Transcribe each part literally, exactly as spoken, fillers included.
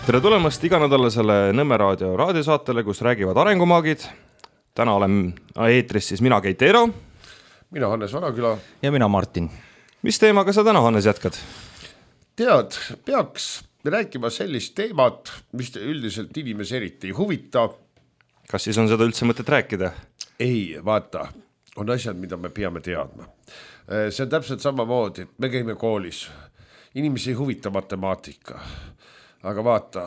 Tere tulemast iganädalasele Nõmme raadio raadiosaatele, kus räägivad arengumaagid. Täna olen eetris siis mina, Keit Eero. Mina, Hannes Vanaküla. Ja mina, Martin. Mis teemaga sa täna, Hannes, jätkad? Tead, peaks rääkima sellist teemat, mis üldiselt inimesi eriti ei huvita. Kas siis on seda üldse mõtet rääkida? Ei, vaata, on asjad, mida me peame teadma. See on täpselt samamoodi, me käime koolis. Inimesi ei huvita matemaatika. Aga vaata,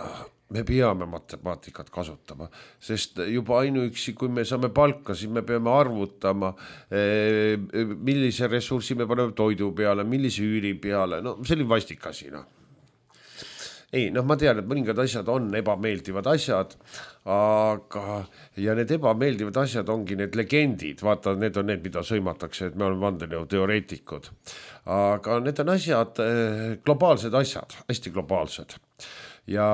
me peame matemaatikat kasutama, sest juba ainuüksi, kui me saame palka, siis me peame arvutama, millise ressursi me paneme toidu peale, millise üüri peale, no see oli vastik asi. No. Ei, noh, ma tean, et mõningad asjad on ebameeldivad asjad, aga ja need ebameeldivad asjad ongi need legendid, vaata, need on need, mida sõimatakse, et me oleme vandenõu teoreetikud. Aga need on asjad, globaalsed asjad, hästi globaalsed. Ja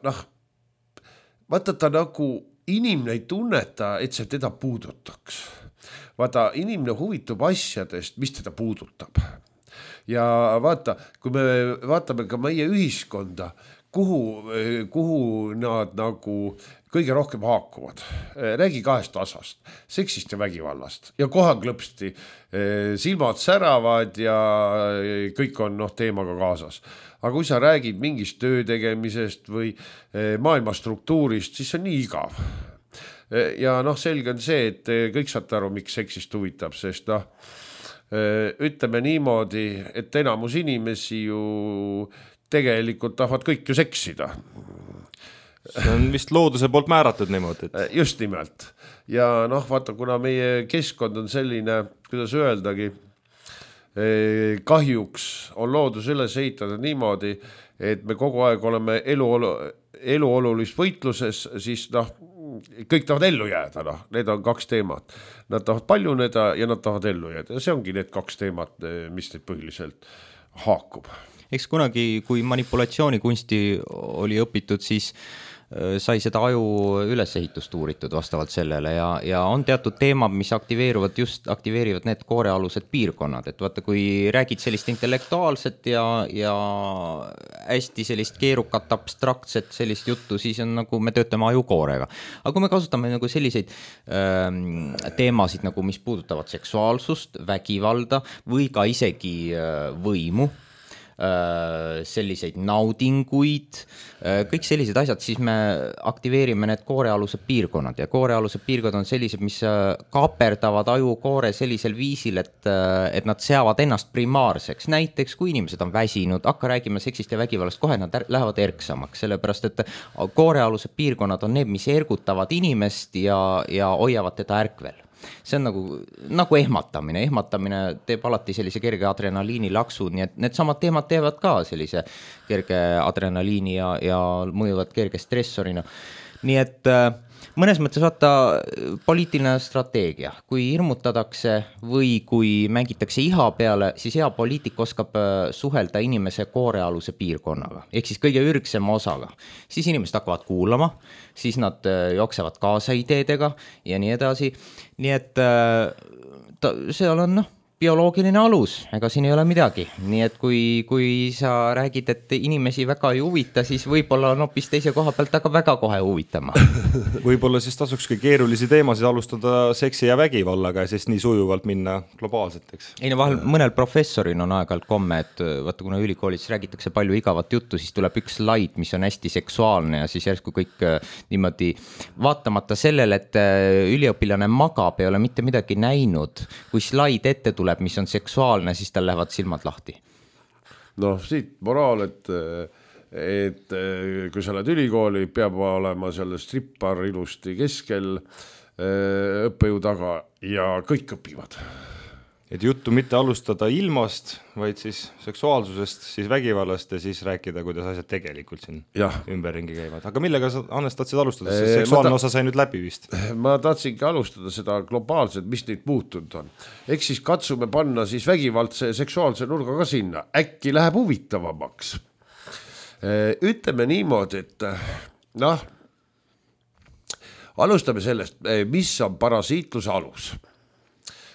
noh, vaata ta nagu inimene ei tunneta, et see teda puudutaks. Vaata, inimene huvitub asjadest, mis teda puudutab. Ja vaata, kui me vaatame ka meie ühiskonda, kuhu, kuhu nad nagu kõige rohkem haakuvad. Räägi kahest asast, seksist ja vägivallast. Ja kohe klõpsti silmad säravad ja kõik on noh, teemaga kaasas. Aga kui sa räägid mingist töö tegemisest või maailma struktuurist, siis see on nii igav. Ja noh, selge on see, et kõik saate aru, miks seksist huvitab, sest noh, ütleme niimoodi, et enamus inimesi ju tegelikult tahavad kõik ju seksida. See on vist looduse poolt määratud niimoodi. Et... Just nimelt. Ja noh, vaata, kuna meie keskkond on selline, kuidas öeldagi, kahjuks on loodus üles ehitatud niimoodi, et me kogu aeg oleme eluolu, eluolulist võitluses, siis noh, kõik tahavad ellu jääda, noh, need on kaks teemat. Nad tahavad paljuneda ja nad tahavad ellu jääda. Ja see ongi need kaks teemat, mis neid põhiliselt haakub. Eks kunagi, kui manipulatsioonikunsti oli õpitud, siis sai seda aju ülesehitust uuritud vastavalt sellele ja, ja on teatud teemad, mis aktiveeruvad just, aktiveerivad need koorealused piirkonnad, et vaata, kui räägid sellist intellektuaalset ja, ja hästi sellist keerukat, abstraktset sellist juttu, siis on nagu me töötame ajukoorega. Aga kui me kasutame nagu selliseid ähm, teemasid, nagu mis puudutavad seksuaalsust, vägivalda või ka isegi äh, võimu, selliseid naudinguid, kõik sellised asjad, siis me aktiveerime need koorealused piirkonnad ja koorealused piirkonnad on sellised, mis kaaperdavad ajukoore sellisel viisil, et, et nad seavad ennast primaarseks. Näiteks, kui inimesed on väsinud, hakka räägime seksist ja vägivallast, kohe nad er, lähevad erksamaks, sellepärast, et koorealused piirkonnad on need, mis ergutavad inimest ja, ja hoiavad teda ärkvel. See on nagu, nagu ehmatamine. Ehmatamine teeb alati sellise kerge adrenaliini laksu, nii et need samad teemad teevad ka sellise kerge adrenaliini ja, ja mõjuvad kerge stressorina. Nii et mõnes mõttes vaata poliitiline strateegia. Kui hirmutatakse või kui mängitakse iha peale, siis hea poliitik oskab suhelda inimese koorealuse piirkonnaga. Ehk siis kõige ürgsema osaga. Siis inimesed hakkavad kuulama, siis nad jooksevad kaasa ideedega ja nii edasi. Nii et ta, seal on noh, bioloogiline alus, ega siin ei ole midagi. Nii et kui, kui sa räägid, et inimesi väga ei huvita, siis võib-olla on hoopis teise koha pealt aga väga kohe huvitama. Võib-olla siis tasukski keerulisi teemasid alustada seksi ja vägivallaga ja siis nii sujuvalt minna globaalseteks. Ei no vahel mõnel professorin on aeg-ajalt komme, et vaata, kuna ülikoolis räägitakse palju igavat juttu, siis tuleb üks slaid, mis on hästi seksuaalne ja siis järsku kõik niimoodi vaatamata sellele, et üliõpilane magab ei ole mitte midagi näinud, kui slaid ette tuleb, mis on seksuaalne, siis tal lähevad silmad lahti. Noh, siit moraal, et, et kui sa oled ülikooli, peab olema selle strippar ilusti keskel õppejõu taga ja kõik õpivad. Et juttu mitte alustada ilmast, vaid siis seksuaalsusest, siis vägivallast ja siis rääkida, kuidas asjad tegelikult siin ja. Ümberringi käivad. Aga millega sa, Hannes, tahtsid alustada? See seksuaalne ta... osa sai nüüd läbi vist. Ma tahtsingi alustada seda globaalselt, mis neid muutunud on. Eks siis katsume panna siis vägivaldse seksuaalse nurga ka sinna. Äkki läheb huvitavamaks. Ütleme niimoodi, et noh, alustame sellest, mis on parasiitluse alus.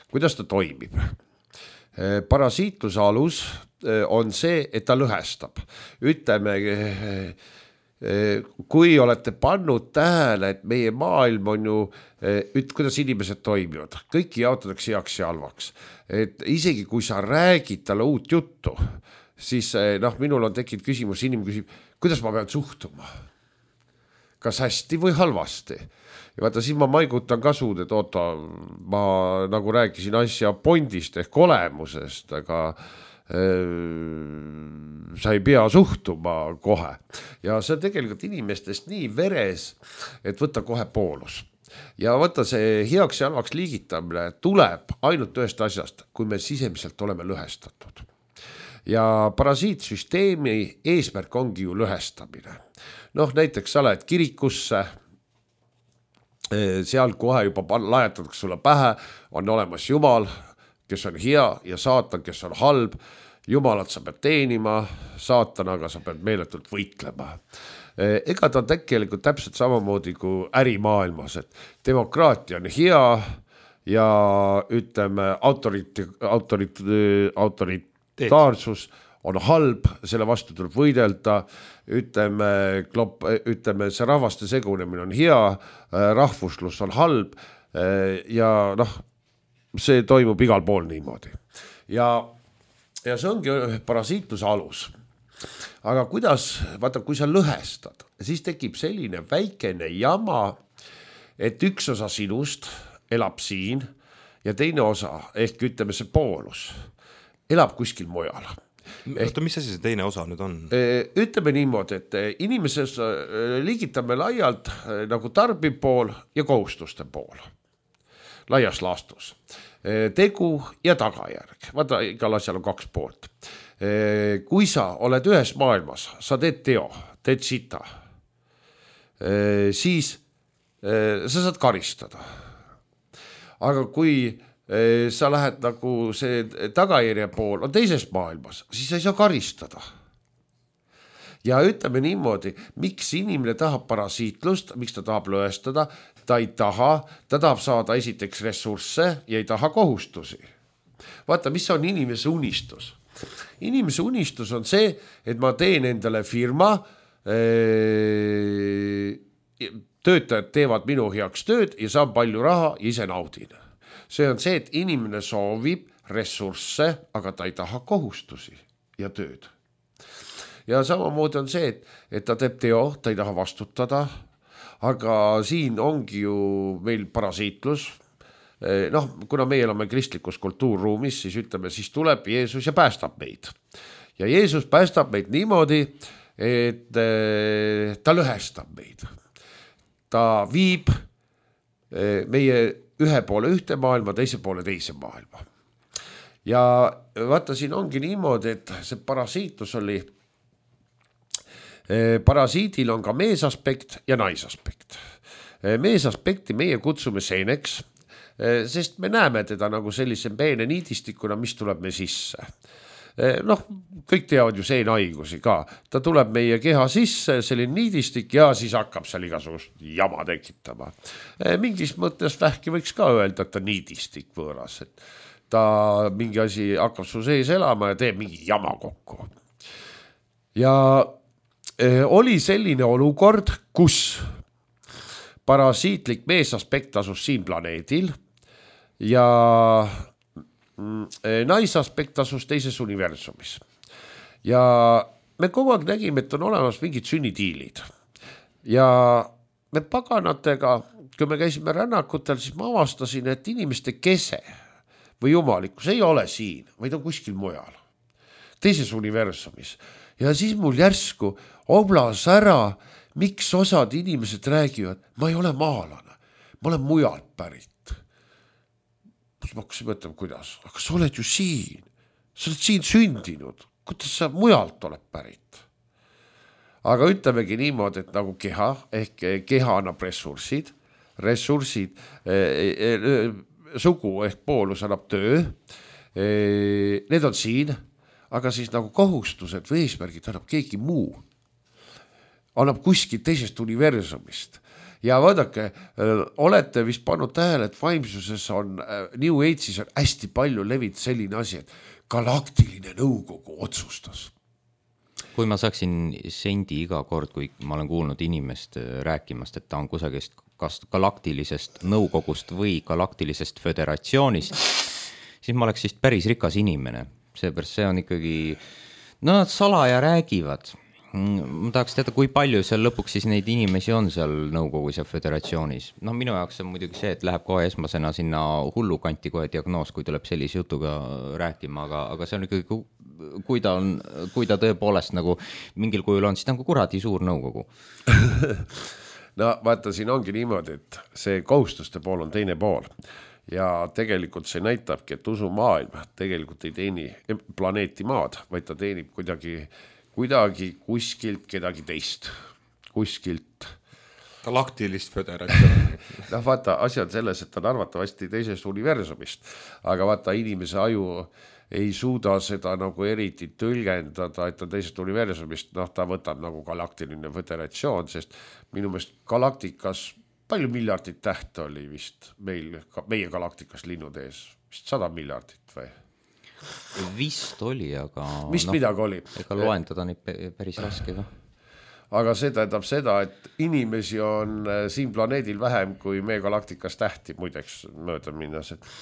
Kuidas ta toimib? Parasiitluse alus on see, et ta lõhestab. Ütleme, kui olete pannud tähele, et meie maailm on ju, üt, kuidas inimesed toimivad, kõiki jaotatakse heaks ja halvaks. Et isegi kui sa räägid talle uut juttu, siis noh, minul on tekkinud küsimus, inimene küsib, kuidas ma pean suhtuma? Kas hästi või halvasti? Ja vaata, siis ma maigutan ka suud, et oota, ma nagu rääkisin asja pondist ehk olemusest, aga sa ei pea suhtuma kohe. Ja see on tegelikult inimestest nii veres, et võtta kohe poolus. Ja võtta see heaks ja halvaks liigitamine tuleb ainult ühest asjast, kui me sisemiselt oleme lõhestatud. Ja parasiitsüsteemi eesmärk ongi ju lõhestamine. Noh, näiteks sa lähed kirikusse, seal kohe juba lajatatakse sulle pähe, on olemas Jumal, kes on hea ja saatan, kes on halb. Jumalat sa pead teenima, saatanaga sa pead meeletult võitlema. Ega ta on tegelikult täpselt samamoodi kui ärimaailmas, et demokraatia on hea ja ütleme autoriti, autorit, autoritaarsus on halb, selle vastu tuleb võidelda, ütleme, klop, ütleme see rahvaste segunemine on hea, rahvuslus on halb ja noh, see toimub igal pool niimoodi. Ja, ja see ongi parasiitluse alus. Aga kuidas, vaata, kui sa lõhestad, siis tekib selline väikene jama, et üks osa sinust elab siin ja teine osa, ehk ütleme see poolus, elab kuskil mujal. Oota, mis asi see teine osa nüüd on? Ütleme niimoodi, et inimeses liigitame laialt nagu tarbib pool ja kohustuste pool. Laias laastus. Tegu ja tagajärg. Vaata, igal asjal on kaks poolt. Kui sa oled ühes maailmas, sa teed teo, teed sita, siis sa saad karistada. Aga kui sa lähed nagu see tagajärje pool on teises maailmas, siis sa ei saa karistada. Ja ütleme niimoodi, miks inimene tahab parasiitlust, miks ta tahab lõestada, ta ei taha, ta tahab saada esiteks ressursse ja ei taha kohustusi. Vaata, mis on inimese unistus? Inimese unistus on see, et ma teen endale firma, töötajad teevad minu heaks tööd ja saan palju raha ja ise naudin. See on see, et inimene soovib ressursse, aga ta ei taha kohustusi ja tööd. Ja samamoodi on see, et, et ta teeb teo, ta ei taha vastutada, aga siin ongi ju meil parasiitlus. Noh, kuna meie oleme kristlikus kultuurruumis, siis ütleme, siis tuleb Jeesus ja päästab meid. Ja Jeesus päästab meid niimoodi, et ta lõhestab meid. Ta viib meie ühe poole ühte maailma, teise poole teise maailma. Ja vaata, siin ongi niimoodi, et see parasiitlus oli parasiidil on ka meesaspekt ja naisaspekt. Meesaspekti meie kutsume seeneks, sest me näeme teda nagu sellise peene niidistikuna, mis tuleb me sisse. Noh, kõik teavad ju seenhaigusi ka. Ta tuleb meie keha sisse, selline niidistik ja siis hakkab seal igasugust jama tekitama. Mingis mõttes vähki võiks ka öelda, et ta niidistik võõras. Et ta mingi asi hakkab su sees elama ja teeb mingi jama kokku. Ja oli selline olukord, kus parasiitlik meesaspekt asus siin planeedil ja naisaspekt asus teises universumis. Ja me kogu aeg nägime, et on olemas mingid sünnitiilid. Ja me paganatega, kui me käisime rännakutel, siis ma avastasin, et inimeste kese või jumalikkus ei ole siin, vaid on kuskil mujal. Teises universumis. Ja siis mul järsku oblas ära, miks osad inimesed räägivad, ma ei ole maalane, ma olen mujalt pärit. Ma hakkasin mõtlema, kuidas, aga sa oled ju siin, sa oled siin sündinud, kuidas sa mujalt oled pärit. Aga ütlemegi niimoodi, et nagu keha, ehk keha annab ressursid, ressursid, eh, eh, sugu ehk poolus annab töö, eh, need on siin, aga siis nagu kohustused või eesmärgid annab keegi muu. Annab kuskil teisest universumist. Ja vaadake, olete vist pannud tähele, et vaimsuses on, New Age'is on hästi palju levit selline asi, et galaktiline nõukogu otsustas. kui ma saaksin sendi iga kord, kui ma olen kuulnud inimest rääkimast, et ta on kusagist kas galaktilisest nõukogust või galaktilisest föderatsioonist, siis ma oleks vist päris rikas inimene. Seepärast see on ikkagi, no nad salaja räägivad. Ma tahaks teada, kui palju seal lõpuks siis neid inimesi on seal nõukogus ja föderatsioonis. No minu jaoks on muidugi see, et läheb kohe esmasena sinna hullukanti kohe diagnoos, kui tuleb sellise jutuga rääkima, aga, aga see on ikkagi, kui ta on, kui ta tõepoolest nagu mingil kujul on, siis ta on kuradi suur nõukogu. No vaata, siin ongi niimoodi, et see kohustuste pool on teine pool ja tegelikult see näitabki, et usumaailm tegelikult ei teeni planeeti maad, vaid ta teenib kuidagi, kuidagi kuskilt kedagi teist, kuskilt galaktilist föderatsiooni. No vaata, asja on selles, et ta on arvatavasti teisest universumist, aga vaata, inimese aju ei suuda seda nagu eriti tõlgendada, et ta teisest universumist, noh, ta võtab nagu galaktiline föderatsioon, sest minu meelest galaktikas, palju miljardit tähte oli vist meil, meie galaktikas linnud ees, vist sada miljardit või? Vist oli, aga vist no, midagi oli. Ega loendada neid päris raske ka. Aga see tähendab seda, et inimesi on siin planeedil vähem kui meie galaktikas tähti, muideks mööda minnes, et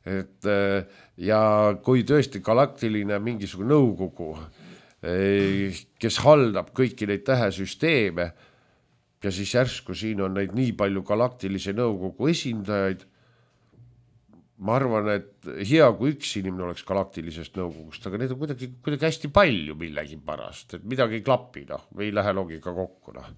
et ja kui tõesti galaktiline mingisugune nõukogu, kes haldab kõiki neid tähesüsteeme ja siis järsku siin on neid nii palju galaktilise nõukogu esindajaid, ma arvan, et hea kui üks inimene oleks galaktilisest nõukogust, aga need on kuidagi, kuidagi hästi palju millegi pärast, et midagi ei klapi, noh, ei lähe loogika kokku, noh.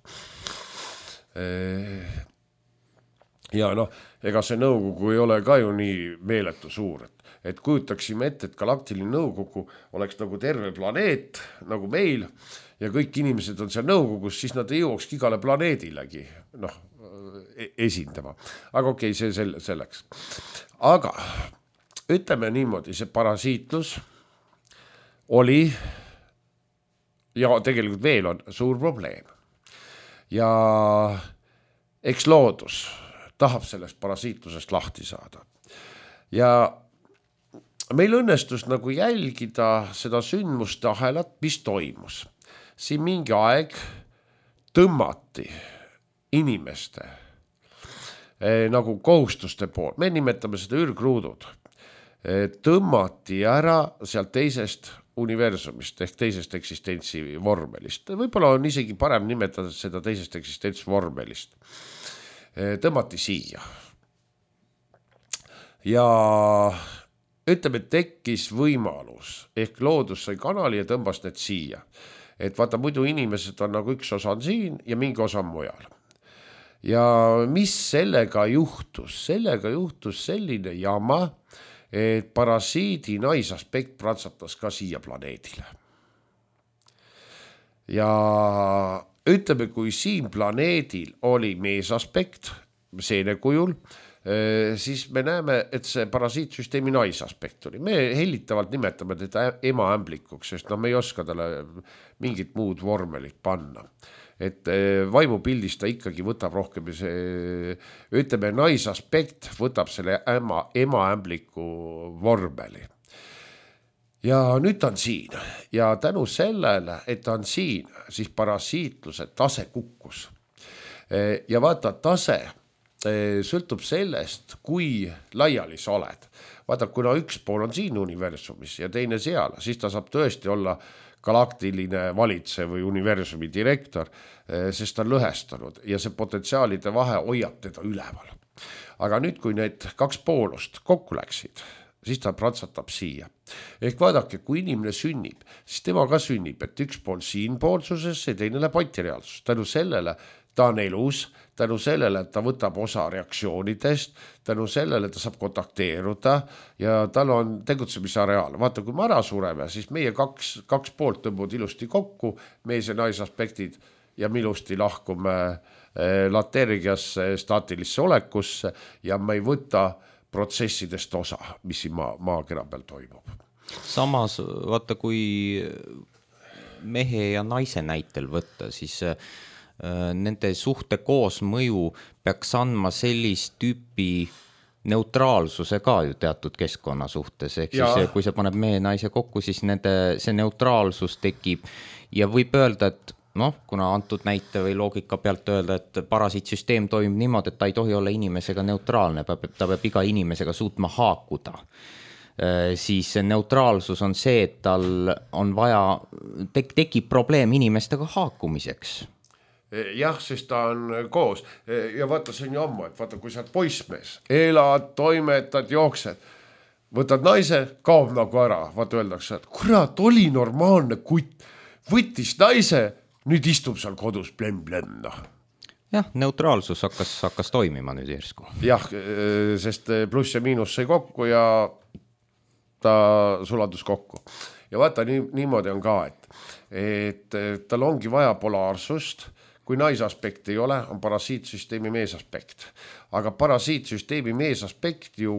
Ja noh, ega see nõukogu ei ole ka ju nii meeletu suur, et, et kujutaksime ette, et galaktiline nõukogu oleks nagu terve planeet, nagu meil, ja kõik inimesed on seal nõukogus, siis nad ei jõuakski igale planeedilegi noh, esindama. Aga okei, see selleks. Aga ütleme niimoodi, see parasiitlus oli ja tegelikult veel on suur probleem. Ja eks loodus tahab sellest parasiitlusest lahti saada. Ja meil õnnestus nagu jälgida seda sündmuste ahelat, mis toimus. Siin mingi aeg tõmmati inimeste eh, nagu kohustuste pool, me nimetame seda ürgruudud, eh, tõmmati ära sealt teisest universumist ehk teisest eksistentsi vormelist. Võib-olla on isegi parem nimetada seda teisest eksistentsi vormelist. Tõmmati siia. Ja ütleme, tekkis võimalus, ehk loodus sai kanali ja tõmbas need siia. Et vaata, muidu inimesed on nagu üks osa on siin ja mingi osa on mujal. Ja mis sellega juhtus? Sellega juhtus selline jama, et parasiidi naisaspekt pratsatas ka siia planeedile. Ja ütleme, kui siin planeedil oli meesaspekt, seene kujul, siis me näeme, et see parasiitsüsteemi naisaspekt oli. Me hellitavalt nimetame teda emaämblikuks, sest no me ei oska talle mingit muud vormelit panna. Et vaimupildis ta ikkagi võtab rohkem, see, ütleme, naisaspekt võtab selle ema, emaämbliku vormeli. Ja nüüd ta on siin ja tänu sellele, et ta on siin, siis parasiitluse tase kukkus. Ja vaata, tase sõltub sellest, kui laiali sa oled. Vaata, kuna üks pool on siin universumis ja teine seal, siis ta saab tõesti olla galaktiline valitse või universumi direktor, sest ta on lõhestunud ja see potentsiaalide vahe hoiab teda üleval. Aga nüüd, kui need kaks poolust kokku läksid, siis ta pratsatab siia. Ehk vaadake, kui inimene sünnib, siis tema ka sünnib, et üks pool siinpoolsuses ja teine läheb antireaalsus. Tänu sellele ta on elus, tänu sellele, et ta võtab osa reaktsioonidest, tänu sellele ta saab kontakteeruda ja tal on tegutsemise areaal. Vaata, kui me ära sureme, siis meie kaks, kaks poolt tõmbud ilusti kokku, mees ja naisaspektid ja me ilusti lahkume latergiasse, staatilisse olekusse ja me ei võta protsessidest osa, mis siin maa, maakera peal toimub. Samas, vaata, kui mehe ja naise näitel võtta, siis äh, nende suhte koosmõju peaks andma sellist tüüpi neutraalsuse ka ju teatud keskkonna suhtes, ehk ja. siis kui see paneb mehe ja naise kokku, siis nende, see neutraalsus tekib ja võib öelda, et noh, kuna antud näite või loogika pealt öelda, et parasiitsüsteem toimib niimoodi, et ta ei tohi olla inimesega neutraalne, ta peab iga inimesega suutma haakuda, siis neutraalsus on see, et tal on vaja, tek- tekib probleem inimestega haakumiseks. Jah, sest ta on koos ja vaata, see on ju ammu, et vaata, kui sa oled poissmees, elad, toimetad, jooksed, võtad naise, kaob nagu ära, vaata öeldakse, et kurat, oli normaalne kutt, võttis naise, nüüd istub seal kodus blem-blem, noh. Jah, neutraalsus hakkas, hakkas toimima nüüd järsku. Jah, sest pluss ja miinus sai kokku ja ta suladus kokku. Ja vaata, nii, niimoodi on ka, et, et tal ongi vaja polaarsust. Kui naisaspekt ei ole, on parasiitsüsteemi meesaspekt. Aga parasiitsüsteemi meesaspekt ju,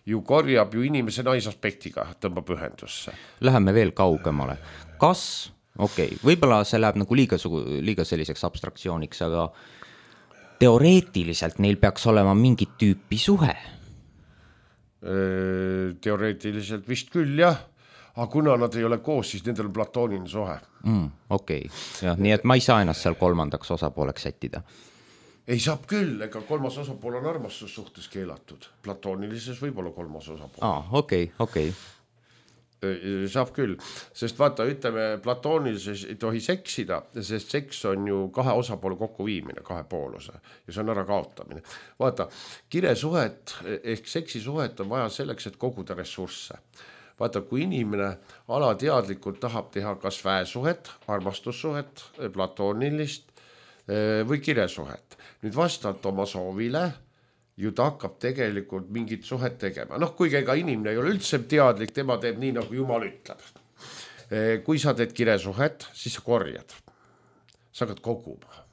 ju korjab ju inimese naisaspektiga, tõmbab ühendusse. Läheme veel kaugemale. Kas, okei, okay, võib-olla see läheb nagu liiga, liiga selliseks abstraktsiooniks, aga teoreetiliselt neil peaks olema mingit tüüpi suhe? Teoreetiliselt vist küll, jah. Aga kuna nad ei ole koos, siis nendel on platooniline suhe. Mm, okei, okay. Nii et ma ei saa ennast seal kolmandaks osapooleks sättida. Ei saab küll, ega kolmas osapool on armastussuhtes keelatud. Platoonilises võib olla kolmas osapool. Aa, okei, okay, okei. Okay. Saab küll, sest vaata, ütleme, platoonilises ei tohi seksida, sest seks on ju kahe osapoole kokkuviimine, kahe pooluse ja see on ära kaotamine. Vaata, kiresuhet ehk seksisuhet on vaja selleks, et koguda ressursse. Vaata, kui inimene alateadlikult tahab teha kas väesuhet, armastussuhet, platoonilist või kiresuhet. Nüüd vastavalt oma soovile ju ta hakkab tegelikult mingit suhet tegema. Noh, kuigi ega inimene ei ole üldse teadlik, tema teeb nii, nagu Jumal ütleb. Kui sa teed kiresuhet, siis sa korjad. Sa hakkad koguma.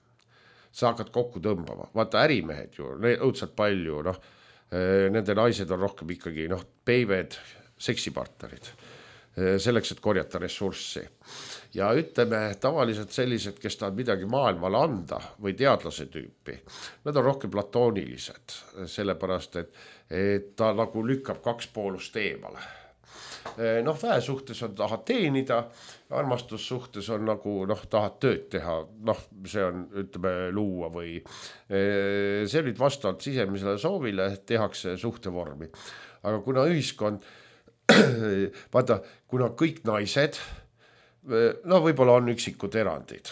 Sa hakkad kokku tõmbama. Vaata, ärimehed ju, õudselt palju, noh, nende naised on rohkem ikkagi, noh, peived, seksipartnerid, selleks, et korjata ressurssi. Ja ütleme, tavaliselt sellised, kes tahavad midagi maailmale anda või teadlase tüüpi, nad on rohkem platoonilised, sellepärast, et, et ta nagu lükkab kaks poolust eemale. Noh, väesuhtes on tahad teenida, armastussuhtes on nagu, noh, tahad tööd teha, noh, see on, ütleme, luua või see nüüd vastavalt sisemisele soovile tehakse suhtevormi. Aga kuna ühiskond vaata, kuna kõik naised, no võib-olla on üksikud erandid.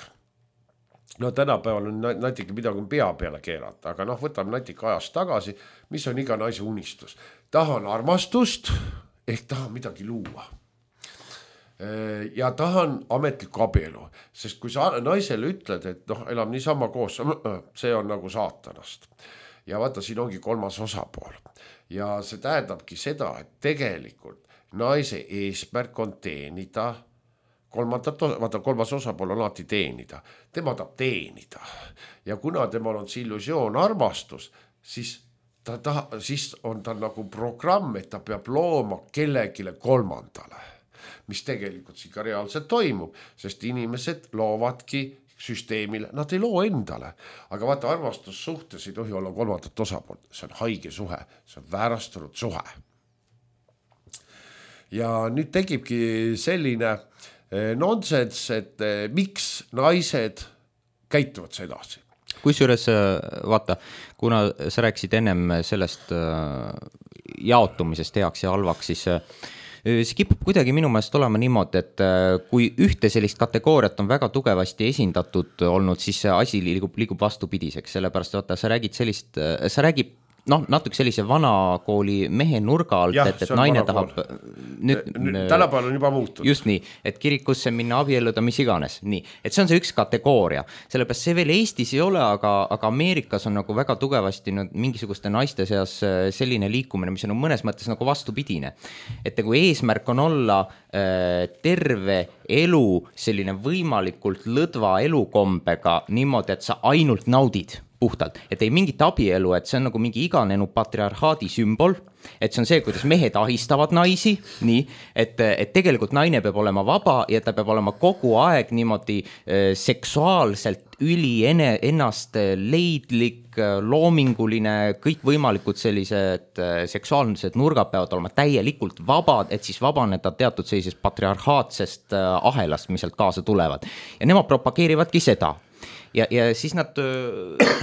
No tänapäeval on natuke midagi pea peale keerata, aga noh, võtame natuke ajast tagasi, mis on iga naise unistus. Tahan armastust, ehk tahan midagi luua. Ja tahan ametlikku abielu, sest kui sa naisele ütled, et noh, elab niisama koos, see on nagu saatanast. Ja vaata, siin ongi kolmas osapool. Ja see tähendabki seda, et tegelikult naise eesmärk on teenida, kolmandat, vaata kolmas osapool on alati teenida, tema tahab teenida ja kuna temal on see illusioon armastus, siis, ta ta, siis on ta nagu programm, et ta peab looma kellegile kolmandale, mis tegelikult siin ka reaalselt toimub, sest inimesed loovadki süsteemile, nad ei loo endale, aga vaata armastussuhtes ei tohi olla kolmandat osapoolt, see on haige suhe, see on väärastunud suhe. Ja nüüd tekibki selline nonsens, et miks naised käituvad see edasi. Kusjuures vaata, kuna sa rääkisid ennem sellest jaotumisest heaks ja halvaks, siis see kipub kuidagi minu meelest olema niimoodi, et kui ühte sellist kategooriat on väga tugevasti esindatud olnud, siis see asi liigub, liigub vastupidiseks, sellepärast vaata, sa räägid sellist, sa räägid noh, natuke sellise vanakooli mehe nurga alt, et, et naine tahab nüüd, tänapäeval on juba muutunud. Just nii, et kirikusse minna abielluda mis iganes. Nii, et see on see üks kategooria. Sellepärast see veel Eestis ei ole, aga, aga Ameerikas on nagu väga tugevasti nüüd mingisuguste naiste seas selline liikumine, mis on mõnes mõttes nagu vastupidine. Et kui eesmärk on olla äh, terve elu selline võimalikult lõdva elukombega niimoodi, et sa ainult naudid puhtalt, et ei mingit abielu, et see on nagu mingi iganenu patriarhaadi sümbol, et see on see, kuidas mehed ahistavad naisi, nii, et, et tegelikult naine peab olema vaba ja ta peab olema kogu aeg niimoodi äh, seksuaalselt üli ene, ennast leidlik, loominguline, kõik võimalikud sellised seksuaalsed nurgad peavad olema täielikult vabad, et siis vabaneda teatud sellisest patriarhaatsest ahelast, mis sealt kaasa tulevad. Ja nemad propageerivadki seda. Ja, ja siis nad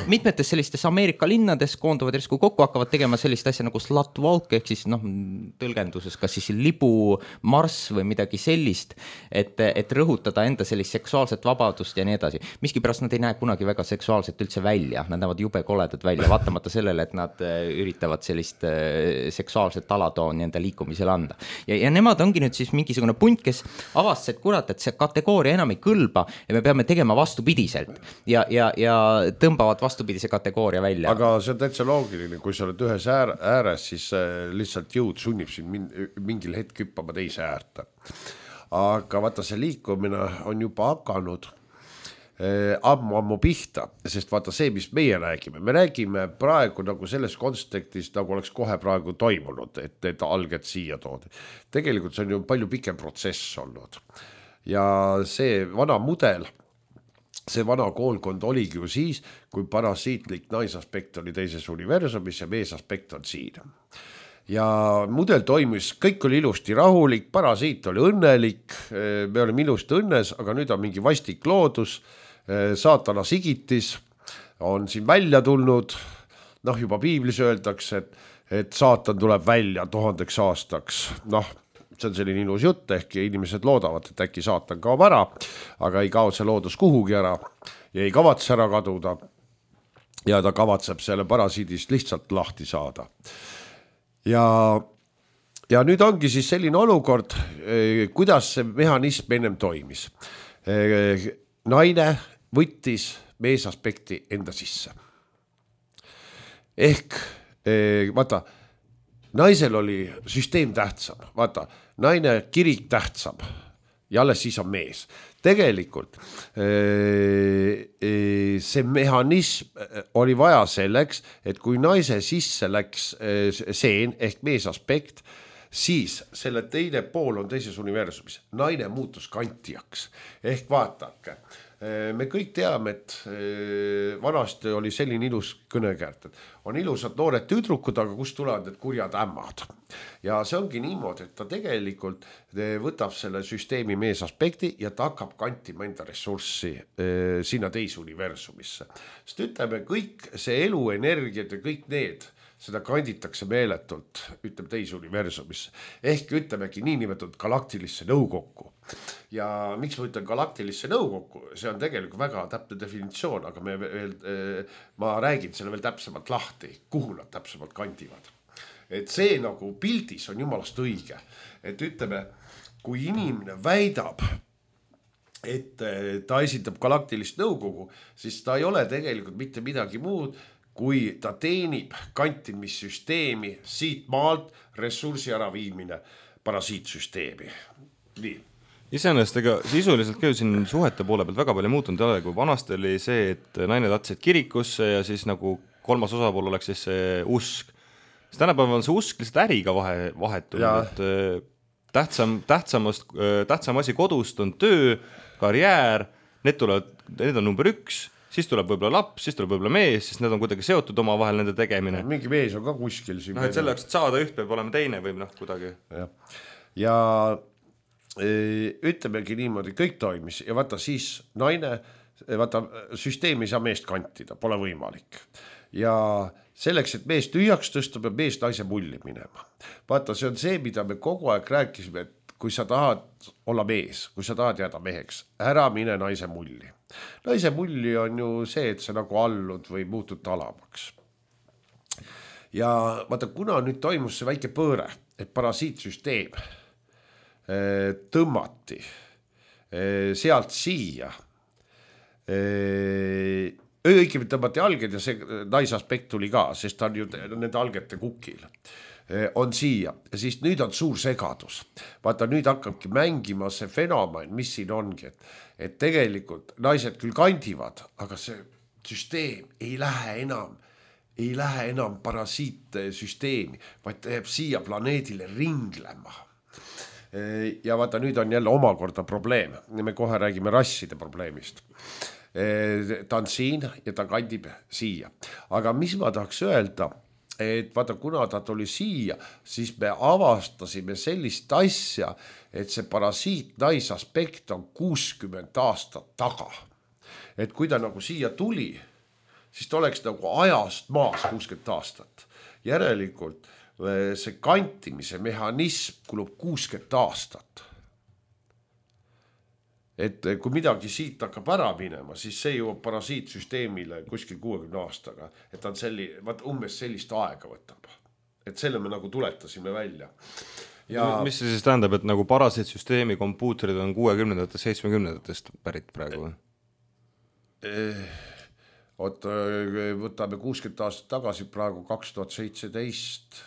mitmetes sellistes Ameerika linnades koonduvad järsku kokku, hakkavad tegema sellist asja nagu slut walk, ehk siis noh, tõlgenduses kas siis libu marss või midagi sellist, et, et rõhutada enda sellist seksuaalset vabadust ja nii edasi. Miskipärast nad ei näe kunagi väga seksuaalselt üldse välja, nad näevad jube koledad välja, vaatamata sellele, et nad üritavad sellist seksuaalset alatooni enda liikumisele anda. Ja, ja nemad ongi nüüd siis mingisugune punt, kes avastas, et kurat, et see kategooria enam ei kõlba ja me peame tegema vastupidiselt. Ja, ja, ja tõmbavad vastupidise kategooria välja. Aga see on täitsa loogiline, kui sa oled ühes ääres, siis lihtsalt jõud sunnib siin mingil hetk hüppama teise äärta. Aga vaata, see liikumine on juba hakanud ammu ammu pihta, sest vaata see, mis meie räägime, me räägime praegu nagu selles kontekstis, nagu oleks kohe praegu toimunud, et need alged siia toodi. Tegelikult see on ju palju pikem protsess olnud. Ja see vana mudel, see vana koolkond oligi ju siis, kui parasiitlik naisaspekt oli teises universumis ja meesaspekt on siin. Ja mudel toimus, kõik oli ilusti rahulik, parasiit oli õnnelik, me olime ilusti õnnes, aga nüüd on mingi vastik loodus, saatana sigitis on siin välja tulnud, noh juba piiblis öeldakse, et, et saatan tuleb välja tuhandeks aastaks, noh, see on selline ilus jutt, ehk inimesed loodavad, et äkki saatan kaob ära, aga ei kao see loodus kuhugi ära ja ei kavatse ära kaduda ja ta kavatseb selle parasiidist lihtsalt lahti saada. Ja, ja nüüd ongi siis selline olukord, kuidas see mehhanism ennem toimis. Naine võttis meesaspekti enda sisse. Ehk, vaata, naisel oli süsteem tähtsam, vaata, naine kirik tähtsam ja alles siis on mees. Tegelikult see mehhanism oli vaja selleks, et kui naise sisse läks seen ehk meesaspekt, siis selle teine pool on teises universumis. Naine muutus kantijaks. Ehk vaatake, me kõik teame, et vanasti oli selline ilus kõnekäärt, et on ilusad noored tüdrukud, aga kust tulevad need kurjad ämmad. Ja see ongi niimoodi, et ta tegelikult võtab selle süsteemi meesaspekti ja ta hakkab kantima enda ressurssi sinna teise universumisse. Sest ütleme, kõik see eluenergiad ja kõik need, seda kanditakse meeletult, ütleme teise universumisse. Ehk ütlemegi niinimetatud galaktilisse nõukokku. Ja miks ma ütlen galaktilisse nõukokku, see on tegelikult väga täpne definitsioon, aga me veel, ma räägin selle veel täpsemalt lahti, kuhu nad täpsemalt kandivad. Et see nagu pildis on jumalast õige, et ütleme, kui inimene väidab, et ta esindab galaktilist nõukogu, siis ta ei ole tegelikult mitte midagi muud, kui ta teenib kantimissüsteemi siit maalt ressursi äraviimine parasiitsüsteemi. Nii. Iseenesest ega sisuliselt ka siin suhete poole pealt väga palju muutunud ei ole, kui vanasti oli see, et naine tahtsid kirikusse ja siis nagu kolmas osapool oleks siis see usk. Siis tänapäeval on see usk lihtsalt äriga vahe, vahetunud, et tähtsam, tähtsamast, tähtsam asi kodust on töö, karjäär, need, tulevad, need on number üks, siis tuleb võib-olla laps, siis tuleb võib-olla mees, siis need on kuidagi seotud oma vahel nende tegemine. Mingi mees on ka kuskil. No, et selle jaoks, et saada üht, peab olema teine või noh, kuidagi. Ja, ja ütlemegi niimoodi, kõik toimis ja vaata siis naine, vaata süsteem ei saa meest kantida, pole võimalik. Ja selleks, et mees tühjaks tõsta, peab mees naise mulli minema. Vaata, see on see, mida me kogu aeg rääkisime, et kui sa tahad olla mees, kui sa tahad jääda meheks, ära mine naise mulli. Naise mulli on ju see, et sa nagu allud või muutud talamaks. Ja vaata, kuna nüüd toimus see väike pööre, et parasiitsüsteem tõmmati sealt siia, õigemini tõmmati alged ja see naisaspekt tuli ka, sest ta on ju nende algete kukil, on siia ja siis nüüd on suur segadus. Vaata, nüüd hakkabki mängima see fenomen, mis siin ongi, et, et tegelikult naised küll kandivad, aga see süsteem ei lähe enam ei lähe enam parasiitsüsteemi, vaid ta jääb siia planeedile ringlema. Ja vaata, nüüd on jälle omakorda probleem. Me kohe räägime rasside probleemist. Ta on siin ja ta kandib siia. Aga mis ma tahaks öelda, et vaata, kuna ta tuli siia, siis me avastasime sellist asja, et see parasiit naisaspekt on kuuskümmend aastat taga. Et kui ta nagu siia tuli, siis ta oleks nagu ajast maas kuuskümmend aastat. Järelikult see kantimise mehhanism kulub kuuskümmend aastat. Et kui midagi siit hakkab ära minema, siis see jõuab parasiitsüsteemile kuskil kuuekümne aastaga. Et ta on selli, vaat umbes sellist aega võtab. Et selle me nagu tuletasime välja. Ja... Mis see siis tähendab, et nagu parasiitsüsteemi kompuutrid on kuuekümnendatest, seitsmekümnendatest pärit praegu? Oot, võtame kuuskümmend aastat tagasi, praegu kaks tuhat seitseteist.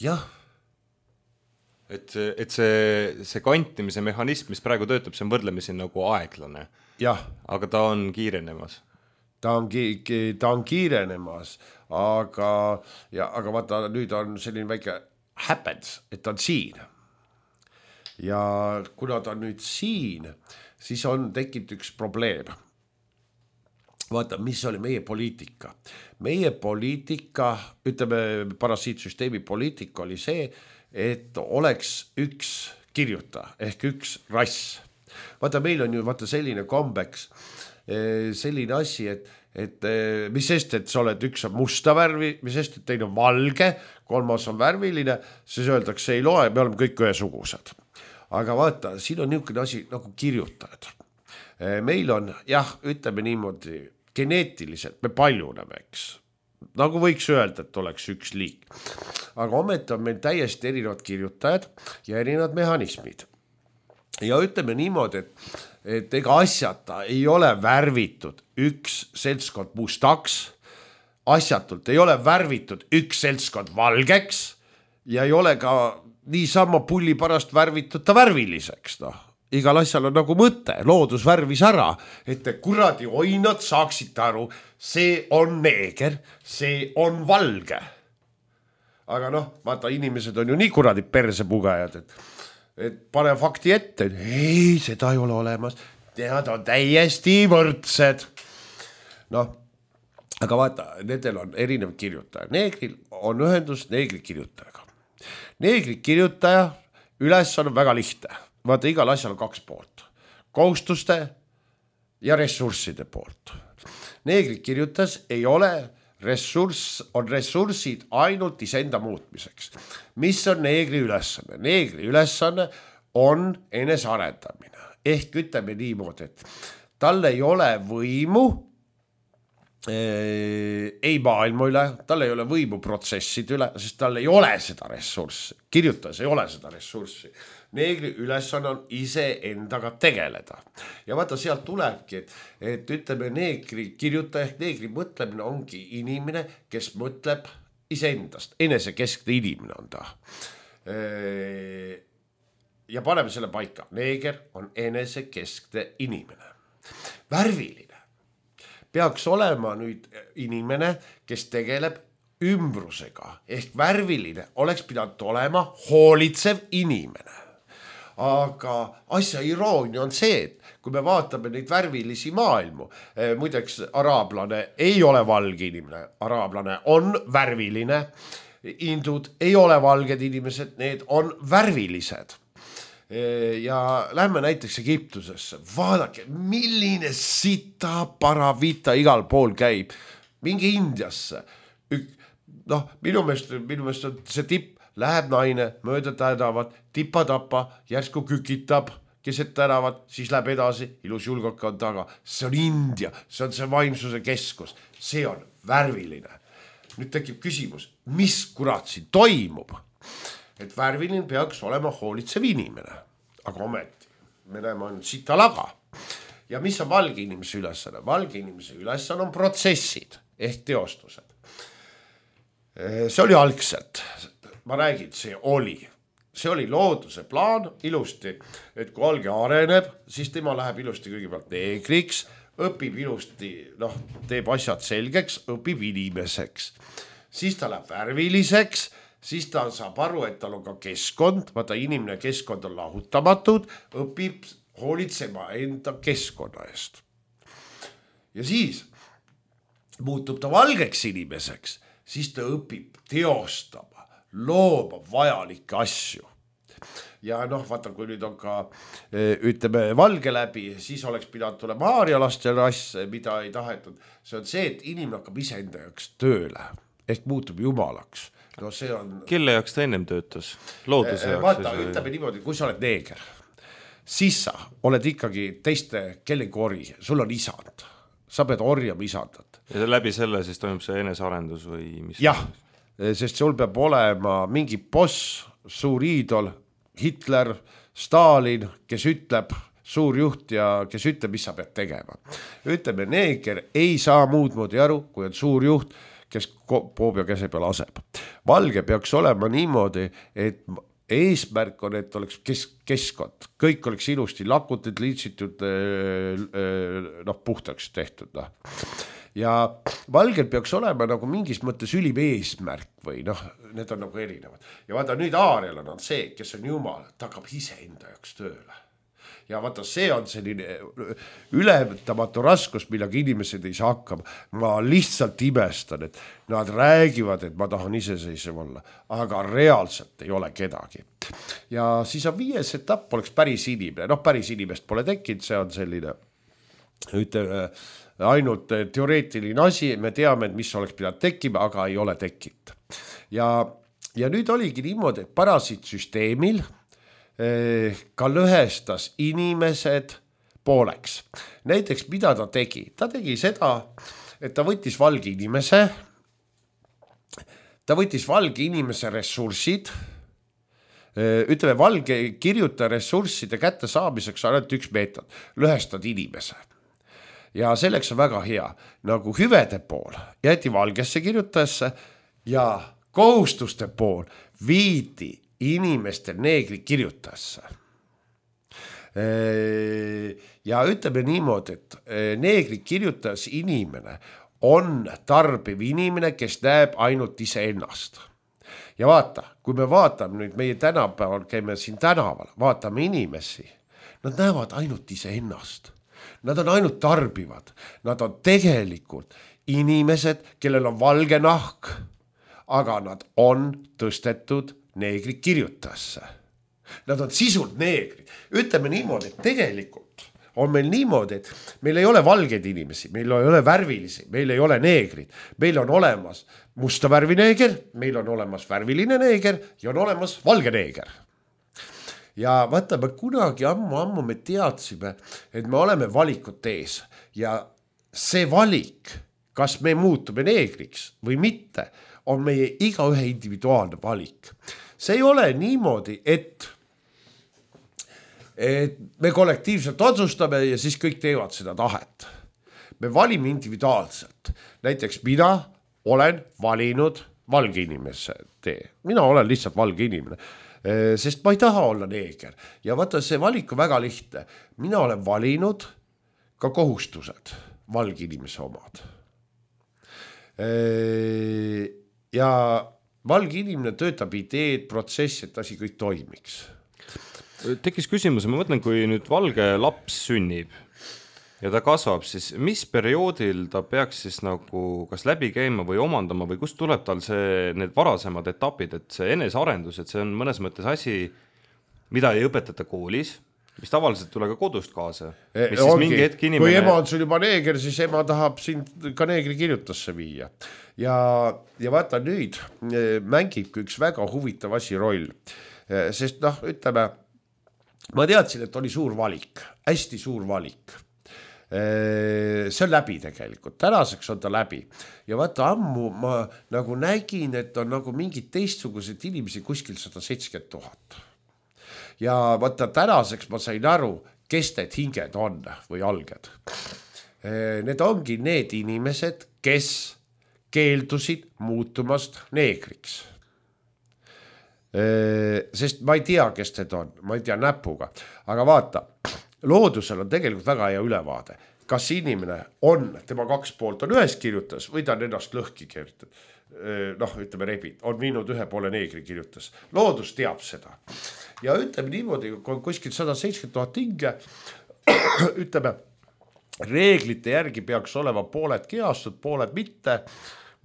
Jah. Et, et see, see kantimise mehhanism, mis praegu töötab, see on võrdlemisi nagu aeglane. Jah. Aga ta on kiirenemas. Ta on, ta on kiirenemas, aga, ja, aga vaata, nüüd on selline väike happens, et ta on siin. Ja kuna ta on nüüd siin, siis on tekkinud üks probleem. Vaata, mis oli meie poliitika. Meie poliitika, ütleme, parasiitsüsteemi poliitika oli see, et oleks üks kirjutaja ehk üks rass. Vaata, meil on ju vaata selline kombeks, selline asi, et, et mis sest, et sa oled üks on musta värvi, mis sest, et teine on valge, kolmas on värviline, siis öeldakse ei loe, me oleme kõik ühesugused. Aga vaata, siin on niisugune asi nagu kirjutajad. Meil on, jah, ütleme niimoodi, geneetiliselt me paljuneme, eks. Nagu võiks öelda, et oleks üks liik. Aga ometi on meil täiesti erinevad kirjutajad ja erinevad mehhanismid. Ja ütleme niimoodi, et, et ega asjata ei ole värvitud üks seltskond mustaks, asjatult ei ole värvitud üks seltskond valgeks ja ei ole ka niisama pulli pärast värvitud ta värviliseks, noh. Igal asjal on nagu mõte, loodus värvis ära, et te kuradi oinad saaksite aru, see on neeger, see on valge. Aga noh, vaata, inimesed on ju nii kuradi persepugajad, et, et pane fakti ette, et ei, seda ei ole olemas, nad on täiesti võrdsed. Noh, aga vaata, nendel on erinev kirjutaja. Neegril on ühendus neegri kirjutajaga. Neegri kirjutaja üles on väga lihtne. Vaata, igal asjal on kaks poolt. Kohustuste ja ressursside poolt. Neegri kirjutas ei ole ressurss, on ressursid ainult isenda muutmiseks. Mis on neegri ülesanne? Neegri ülesanne on enesearendamine. Ehk ütleme niimoodi, et tal ei ole võimu äh, ei maailma üle, tal ei ole võimu protsesside üle, sest tal ei ole seda ressurssi. Kirjutas ei ole seda ressurssi. Neegri ülesanne on ise endaga tegeleda. Ja vaata, sealt tulebki, et, et ütleme, neegri kirjutaja ehk neegri mõtlemine ongi inimene, kes mõtleb iseendast. Enesekeskne inimene on ta. Ja paneme selle paika. Neeger on enesekeskne inimene. Värviline peaks olema nüüd inimene, kes tegeleb ümbrusega. Ehk värviline oleks pidanud olema hoolitsev inimene. Aga asja iroonia on see, et kui me vaatame neid värvilisi maailmu, muideks araablane ei ole valge inimene, araablane on värviline, indud ei ole valged inimesed, need on värvilised. Ja lähme näiteks Egiptusesse, vaadake, milline sita paravita igal pool käib, mingi Indiasse, noh, minu meelest, minu meelest on see tipp, läheb naine, mööda tänavat, tipa-tapa, järsku kükitab, keset tänavat, siis läheb edasi, ilus julgaka on taga. See on India, see on see vaimsuse keskus, see on värviline. Nüüd tekib küsimus, mis kurat siin toimub? Et värviline peaks olema hoolitsev inimene, aga ometi me näeme ainult sita laga. Ja mis on valge inimese ülesanne? Valge inimese ülesanne on protsessid ehk teostused. See oli algselt. Ma räägin, see oli. See oli looduse plaan ilusti, et kui alge areneb, siis tema läheb ilusti kõigepealt neegriks, õpib ilusti, noh, teeb asjad selgeks, õpib inimeseks. Siis ta läheb värviliseks, siis ta saab aru, et tal on ka keskkond, vaata inimene keskkond on lahutamatud, õpib hoolitsema enda keskkonna eest. Ja siis muutub ta valgeks inimeseks, siis ta õpib teostama, looma vajalikke asju. Ja noh, vaata, kui nüüd on ka, ütleme, valge läbi, siis oleks pidanud tulema aarialaste rass, mida ei tahetud. See on see, et inimene hakkab iseenda jaoks tööle, ehk muutub jumalaks. No see on... Kelle jaoks ta ennem töötas? Looduse jaoks? Vaata, ütleme niimoodi, kui sa oled neeger, siis sa oled ikkagi teiste kellegi ori, sul on isand. Sa pead orjama isandat. Ja läbi selle siis toimub see enesearendus või mis? Jah, sest sul peab olema mingi boss, suur iidol, Hitler, Stalin, kes ütleb, suur juht ja kes ütleb, mis sa pead tegema. Ütleme, neeger ei saa muud moodi aru, kui on suur juht, kes poob ja käse peal aseb. Valge peaks olema niimoodi, et eesmärk on, et oleks kes, keskkond. Kõik oleks ilusti lakutud, liitsitud, noh, puhtaks tehtud. No. Ja valgel peaks olema nagu mingis mõttes ülim eesmärk või noh, need on nagu erinevad. Ja vaata nüüd Aarial on see, kes on jumal, ta hakkab ise enda jaoks tööle. Ja vaata, see on selline ületamatu raskus, millega inimesed ei saa hakkama. Ma lihtsalt imestan, et nad räägivad, et ma tahan iseseisev olla, aga reaalselt ei ole kedagi. Ja siis on viies etapp, oleks päris inimene. Noh, päris inimest pole tekkinud, see on selline, ütleme, ainult teoreetiline asi, me teame, et mis oleks pidanud tekkima, aga ei ole tekkinud. Ja, ja nüüd oligi niimoodi, et parasiitsüsteemil ka lõhestas inimesed pooleks. Näiteks, mida ta tegi? Ta tegi seda, et ta võttis valge inimese, ta võttis valge inimese ressursid, ütleme, valge kirjuta ressursside kätte saamiseks on ainult üks meetod, lõhestad inimese. Ja selleks on väga hea, nagu hüvede pool jäeti valgesse kirjutajasse ja kohustuste pool viidi inimeste neegri kirjutajasse. Ja ütleme niimoodi, et neegri kirjutajas inimene on tarbiv inimene, kes näeb ainult ise ennast. Ja vaata, kui me vaatame nüüd meie tänapäeval, käime siin tänaval, vaatame inimesi, nad näevad ainult ise ennast. Nad on ainult tarbivad, nad on tegelikult inimesed, kellel on valge nahk, aga nad on tõstetud neegri kirjutajasse. Nad on sisult neegrid. Ütleme niimoodi, et tegelikult on meil niimoodi, et meil ei ole valgeid inimesi, meil ei ole värvilisi, meil ei ole neegrid. Meil on olemas musta värvi neeger, meil on olemas värviline neeger ja on olemas valge neeger. Ja vaata, me kunagi ammu-ammu me teadsime, et me oleme valikut ees ja see valik, kas me muutume neegriks või mitte, on meie igaühe individuaalne valik. See ei ole niimoodi, et, et me kollektiivselt otsustame ja siis kõik teevad seda tahet. Me valime individuaalselt. Näiteks mina olen valinud valge inimese tee. Mina olen lihtsalt valge inimene. Sest ma ei taha olla neeger. Ja vaata, see valik on väga lihtne. Mina olen valinud ka kohustused, valge inimese omad. Ja valge inimene töötab ideed, protsessi, et asi kõik toimiks. Tekkis küsimus, ma mõtlen, kui nüüd valge laps sünnib ja ta kasvab, siis mis perioodil ta peaks siis nagu kas läbi käima või omandama või kust tuleb tal see, need varasemad etapid, et see enesearendus, et see on mõnes mõttes asi, mida ei õpetata koolis, mis tavaliselt tule ka kodust kaasa. Mis siis mingi hetk inimene... Kui ema on sul juba neeger, siis ema tahab sind ka neegri kirjutasse viia. Ja, ja vaata nüüd mängib üks väga huvitav asi roll. Sest noh, ütleme, ma teadsin, et oli suur valik, hästi suur valik. See on läbi tegelikult, tänaseks on ta läbi ja vaata ammu ma nagu nägin, et on nagu mingid teistsugused inimesi kuskil sada seitsekümmend tuhat ja vaata tänaseks ma sain aru, kes need hinged on või alged. Need ongi need inimesed, kes keeldusid muutumast neegriks. Sest ma ei tea, kes need on, ma ei tea näpuga, aga vaata, loodusel on tegelikult väga hea ülevaade. kas inimene on, tema kaks poolt on ühes kirjutas või ta on ennast lõhki kirjutanud. Noh, ütleme rebid, on viinud ühe poole neegri kirjutas. Loodus teab seda. Ja ütleme niimoodi, kui on kuskil sada seitsekümmend tuhat hinge, ütleme, reeglite järgi peaks olema pooled keastud, pooled mitte,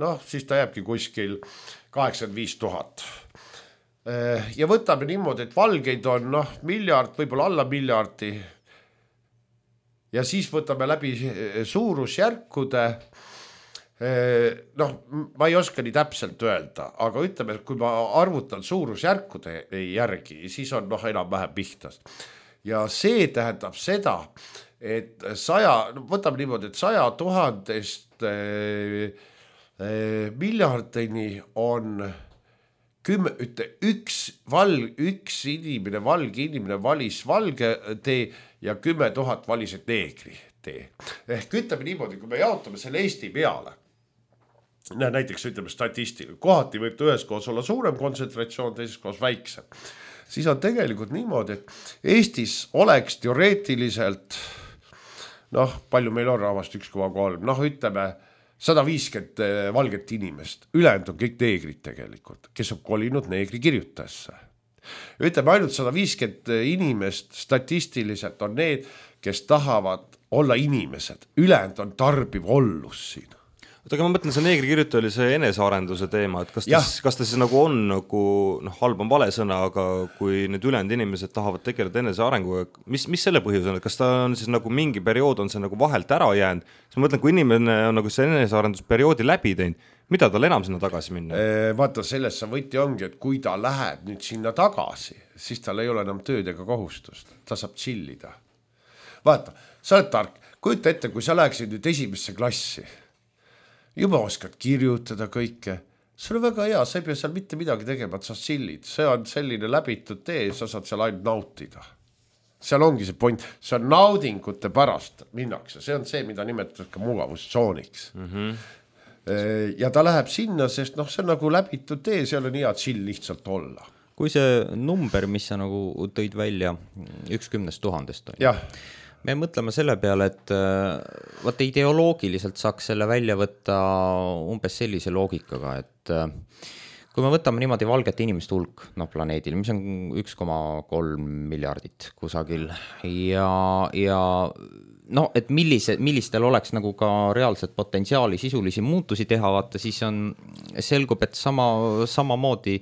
noh, siis ta jääbki kuskil kaheksakümmend viis tuhat. Ja võtame niimoodi, et valgeid on noh, miljard, võib-olla alla miljardi. Ja siis võtame läbi suurusjärkude. Noh, ma ei oska nii täpselt öelda, aga ütleme, kui ma arvutan suurusjärkude järgi, siis on noh, enam vähem pihtas. Ja see tähendab seda, et saja, võtame niimoodi, et saja tuhandest miljardini on kümme, ütle, üks, val, üks inimene, valge inimene valis valge tee ja kümme tuhat valisid neegri tee. Ehk ütleme niimoodi, kui me jaotame selle Eesti peale, näiteks ütleme statistika, kohati võib ühes koos olla suurem kontsentratsioon, teises koos väiksem, siis on tegelikult niimoodi, et Eestis oleks teoreetiliselt, noh, palju meil on rahvast üks koma kolm, noh, ütleme sada viiskümmend valget inimest, ülejäänud on kõik neegrid tegelikult, kes on kolinud neegri kirjutajasse. Ütleme ainult sada viiskümmend inimest statistiliselt on need, kes tahavad olla inimesed, ülejäänud on tarbiv ollus siin. Aga ma mõtlen, see neegri kirjutaja oli see enesearenduse teema, et kas ta, kas ta siis nagu on nagu, noh, halb on vale sõna, aga kui need ülejäänud inimesed tahavad tegeleda enesearenguga, mis, mis selle põhjus on, et kas ta on siis nagu mingi periood on see nagu vahelt ära jäänud, siis ma mõtlen, kui inimene on nagu see enesearendusperioodi läbi teinud, mida tal enam sinna tagasi minna? Vaata, sellest see võti ongi, et kui ta läheb nüüd sinna tagasi, siis tal ei ole enam tööd ega kohustust, ta saab chillida. Vaata, sa oled tark, kujuta ette, kui sa läheksid nüüd esimesse klassi, juba oskad kirjutada kõike, see on väga hea, sa ei pea seal mitte midagi tegema, et sa chillid, see on selline läbitud tee, sa saad seal ainult nautida. Seal ongi see point, see on naudingute pärast minnakse, see on see, mida nimetatakse ka mugavustsooniks. Mm-hmm. Ja ta läheb sinna, sest noh, see on nagu läbitud tee, seal on hea chill lihtsalt olla. Kui see number, mis sa nagu tõid välja, üks kümnest tuhandest on. Jah. Me mõtleme selle peale, et vaata ideoloogiliselt saaks selle välja võtta umbes sellise loogikaga, et kui me võtame niimoodi valgete inimeste hulk noh, planeedil, mis on üks koma kolm miljardit kusagil ja, ja no, et millise, millistel oleks nagu ka reaalset potentsiaali sisulisi muutusi teha, vaata siis on, selgub, et sama, samamoodi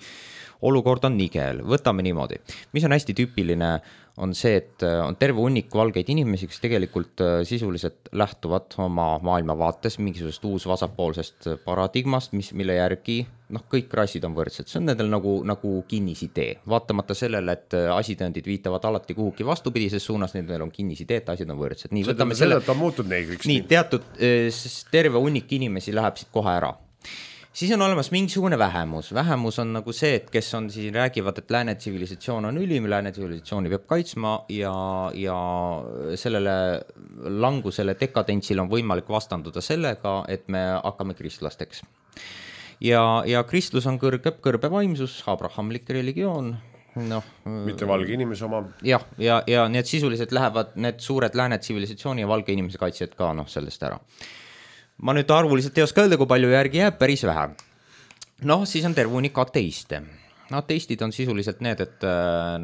olukord on nigel, võtame niimoodi, mis on hästi tüüpiline on see, et on terve hunnik valgeid inimesi, kes tegelikult sisuliselt lähtuvad oma maailmavaates mingisugusest uus vasakpoolsest paradigmast, mis, mille järgi noh, kõik rassid on võrdsed. See on nendel nagu, nagu kinnisidee. Vaatamata sellele, et asitõendid viitavad alati kuhugi vastupidises suunas, nendel on kinnisidee, et asjad on võrdsed. Nii, võtame selle, et on muutud neegriks. Nii, teatud terve hunnik inimesi läheb siit kohe ära. Siis on olemas mingisugune vähemus. Vähemus on nagu see, et kes on siin räägivad, et lääne tsivilisatsioon on ülim, lääne tsivilisatsiooni peab kaitsma ja, ja sellele langusele dekadentsile on võimalik vastanduda sellega, et me hakkame kristlasteks. Ja, ja kristlus on kõrge, kõrbe vaimsus, abrahamlik religioon. No, mitte valge inimese oma. Jah, ja, ja need sisuliselt lähevad need suured lääne tsivilisatsiooni ja valge inimese kaitsjad ka noh, sellest ära. Ma nüüd arvuliselt ei oska öelda, kui palju järgi jääb, päris vähe. Noh, siis on terve hunnik ateiste. Ateistid on sisuliselt need, et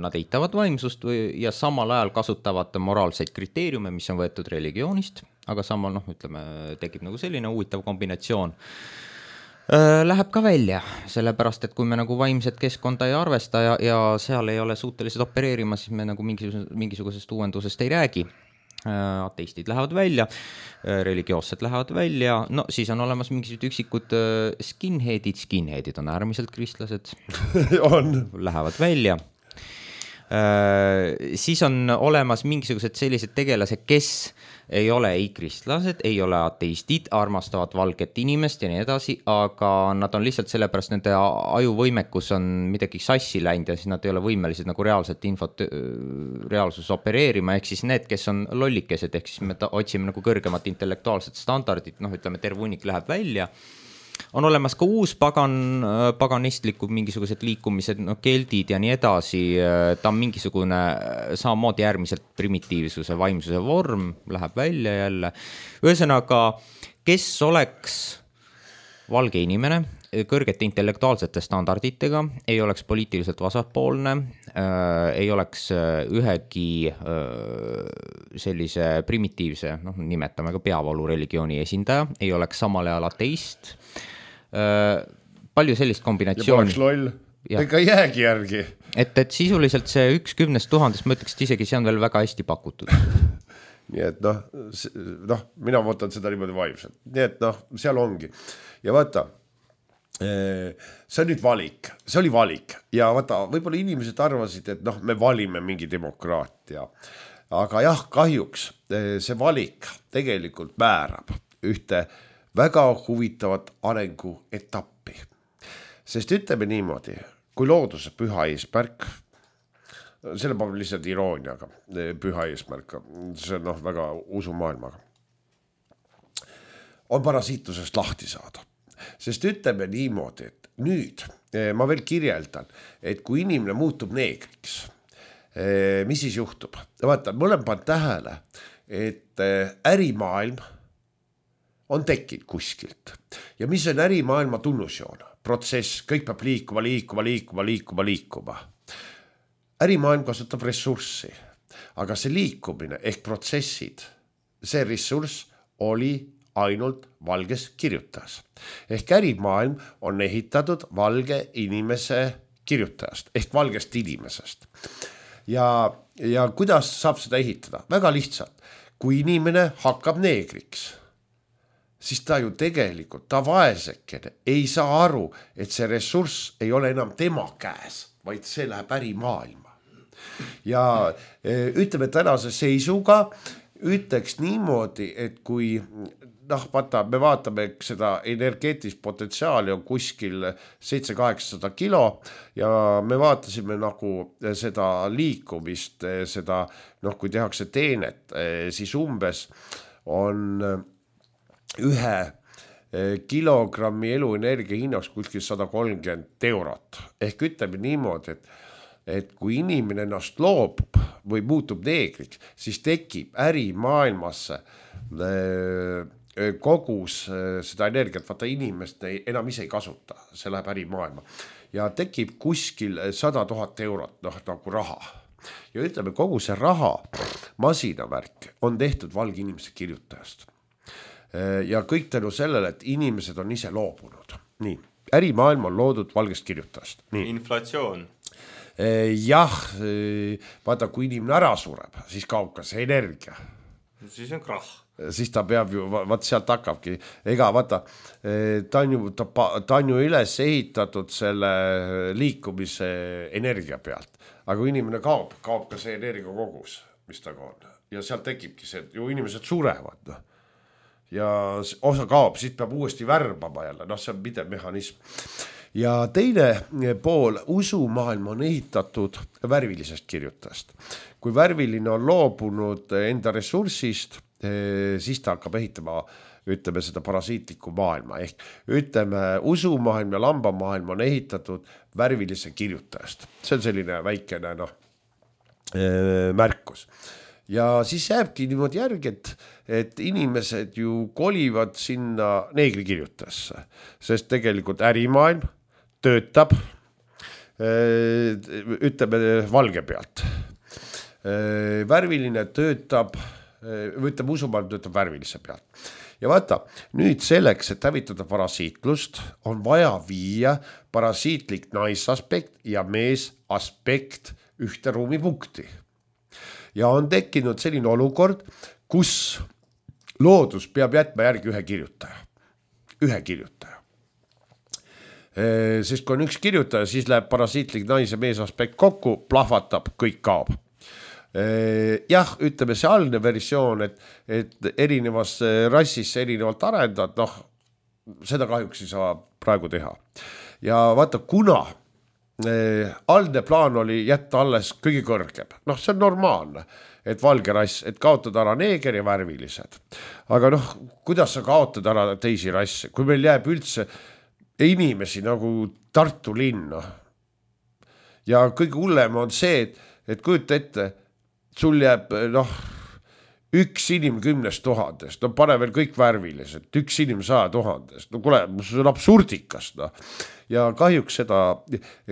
nad eitavad vaimsust ja samal ajal kasutavad moraalseid kriteeriume, mis on võetud religioonist, aga samal, noh, ütleme, tekib nagu selline huvitav kombinatsioon. Läheb ka välja, sellepärast, et kui me nagu vaimset keskkonda ei arvesta ja, ja seal ei ole suutelised opereerima, siis me nagu mingisugusest, mingisugusest uuendusest ei räägi. Ateistid lähevad välja, religioossed lähevad välja, no siis on olemas mingisugused üksikud skinheadid, skinheadid on äärmiselt kristlased, on. Lähevad välja. Siis on olemas mingisugused sellised tegelased, kes ei ole ei kristlased, ei ole ateistid, armastavad valget inimest ja nii edasi, aga nad on lihtsalt sellepärast, nende ajuvõimekus on midagi sassi läinud ja siis nad ei ole võimelised nagu reaalset infot reaalsus opereerima, ehk siis need, kes on lollikesed, ehk siis me otsime nagu kõrgemat intellektuaalset standardit, noh ütleme, terve hunnik läheb välja, on olemas ka uus pagan, paganistlikud mingisugused liikumised, no keldid ja nii edasi, ta on mingisugune samamoodi äärmiselt primitiivsuse, vaimsuse vorm, läheb välja jälle. Ühesõnaga, kes oleks valge inimene, kõrgete intellektuaalsete standarditega, ei oleks poliitiliselt vasakpoolne, äh, ei oleks ühegi äh, sellise primitiivse, noh, nimetame ka peavalureligiooni esindaja, ei oleks samal ajal ateist, äh, palju sellist kombinatsiooni. Ja poleks loll, ega jäägi järgi. Et, et sisuliselt see üks kümnest tuhandest, ma ütleks, et isegi see on veel väga hästi pakutud. Nii et noh, noh, mina võtan seda niimoodi vaimselt. Nii et noh, seal ongi. Ja vaata, see on nüüd valik, see oli valik ja vaata, võib-olla inimesed arvasid, et noh, me valime mingi demokraatia, aga jah, kahjuks see valik tegelikult määrab ühte väga huvitavat arengu etappi, sest ütleme niimoodi, kui looduse püha eesmärk, selle paneb lihtsalt irooniaga, püha eesmärk, see on noh, väga usumaailmaga, on parasiitlusest lahti saada. Sest ütleme niimoodi, et nüüd ma veel kirjeldan, et kui inimene muutub neegriks, mis siis juhtub? Vaata, ma olen pannud tähele, et ärimaailm on tekkinud kuskilt. Ja mis on ärimaailma tunnusjoon? Protsess, kõik peab liikuma, liikuma, liikuma, liikuma, liikuma. Ärimaailm kasutab ressurssi, aga see liikumine ehk protsessid, see ressurss oli ainult valges kirjutas. Ehk ärimaailm on ehitatud valge inimese kirjutajast, ehk valgest inimesest. Ja, ja kuidas saab seda ehitada? Väga lihtsalt. Kui inimene hakkab neegriks, siis ta ju tegelikult, ta vaesekene ei saa aru, et see ressurss ei ole enam tema käes, vaid see läheb ärimaailma. Ja ütleme tänase seisuga, ütleks niimoodi, et kui noh, vaata, me vaatame, seda energeetilist potentsiaali on kuskil seitse kaheksasada kilo ja me vaatasime nagu seda liikumist, seda, noh, kui tehakse teenet, siis umbes on ühe kilogrammi eluenergia hinnaks kuskil sada kolmkümmend eurot. Ehk ütleme niimoodi, et, et kui inimene ennast loobub või muutub neegriks, siis tekib ärimaailmasse kogus seda energiat, vaata inimest enam ise ei kasuta, see läheb ärimaailma ja tekib kuskil sada tuhat eurot, noh nagu raha. Ja ütleme, kogu see raha masinavärk on tehtud valge inimese kirjutajast. Ja kõik tänu sellele, et inimesed on ise loobunud. Nii, ärimaailm on loodud valgest kirjutajast. Nii. Inflatsioon. Jah, vaata, kui inimene ära sureb, siis kaob ka see energia. Siis on krah. Siis ta peab ju, vaat sealt hakkabki, ega vaata, ta on ju, ta, ta on ju üles ehitatud selle liikumise energia pealt, aga kui inimene kaob, kaob ka see energia kogus, mis ta on, ja sealt tekibki see, ju inimesed surevad, no. Ja osa kaob, siis peab uuesti värbama jälle, noh, see on pidev mehhanism. Ja teine pool, usumaailm on ehitatud värvilisest kirjutajast. Kui värviline on loobunud enda ressursist, siis ta hakkab ehitama, ütleme, seda parasiitlikku maailma. Ehk ütleme, usumaailm ja lambamaailm on ehitatud värvilise kirjutajast. See on selline väikene no, märkus. Ja siis jääbki niimoodi järgi, et, et inimesed ju kolivad sinna neegrikirjutajasse, sest tegelikult ärimaailm töötab, ütleme, valge pealt. Värviline töötab, ütleme, usumaailm töötab värvilise pealt. Ja vaata, nüüd selleks, et hävitada parasiitlust, on vaja viia parasiitlik naisaspekt ja meesaspekt ühte ruumipunkti. Ja on tekkinud selline olukord, kus loodus peab jätma järgi ühe kirjutaja. Ühe kirjutaja. Sest kui on üks kirjutaja, siis läheb parasiitlik nais- ja meesaspekt kokku, plahvatab, kõik kaob. Jah, ütleme see algne versioon, et, et erinevas rassis erinevalt arendad, noh, seda kahjuks ei saa praegu teha. Ja vaata, kuna algne plaan oli jätta alles kõige kõrgem, noh, see on normaalne, et valge rass, et kaotada ära neeger ja värvilised. Aga noh, kuidas sa kaotad ära teisi rasse, kui meil jääb üldse inimesi nagu Tartu linna. Ja kõige hullem on see, et, et kujuta ette, sul jääb noh, üks inim kümnest tuhandest, no pane veel kõik värvilised, üks inim saja tuhandest, no kuule, see on absurdikas, no. Ja kahjuks seda,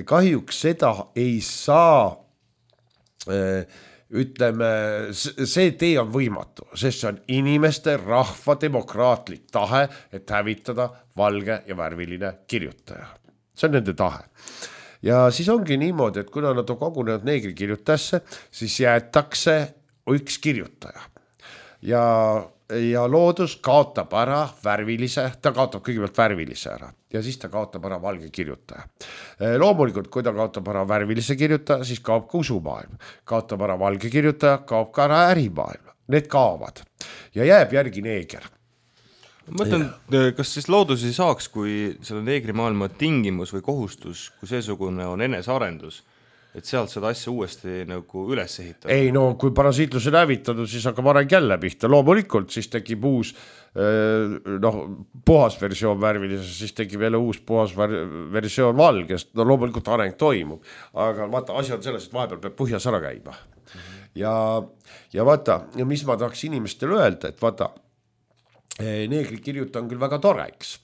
kahjuks seda ei saa, ütleme, see tee on võimatu, sest see on inimeste rahva demokraatlik tahe, et hävitada valge ja värviline kirjutaja. See on nende tahe. Ja siis ongi niimoodi, et kuna nad on kogunenud neegri kirjutajasse, siis jäetakse üks kirjutaja. Ja, ja loodus kaotab ära värvilise, ta kaotab kõigepealt värvilise ära ja siis ta kaotab ära valge kirjutaja. Loomulikult, kui ta kaotab ära värvilise kirjutaja, siis kaob ka usumaailm. Kaotab ära valge kirjutaja, kaob ka ära ärimaailm. Need kaovad ja jääb järgi neeger. Ma mõtlen, kas siis loodus ei saaks, kui selle neegrimaailma tingimus või kohustus, kui seesugune on enesearendus, et sealt seda asja uuesti nagu üles ehitada? Ei no, kui parasiitlus on hävitatud, siis hakkab areng jälle pihta. Loomulikult, siis tekib uus noh, puhas versioon värvilises, siis tekib jälle uus puhas versioon valgest. No loomulikult areng toimub, aga vaata, asi on selles, et vahepeal peab põhjas ära käima. Ja, ja vaata, ja mis ma tahaks inimestele öelda, et vaata, neegri kirjuta on küll väga toreks.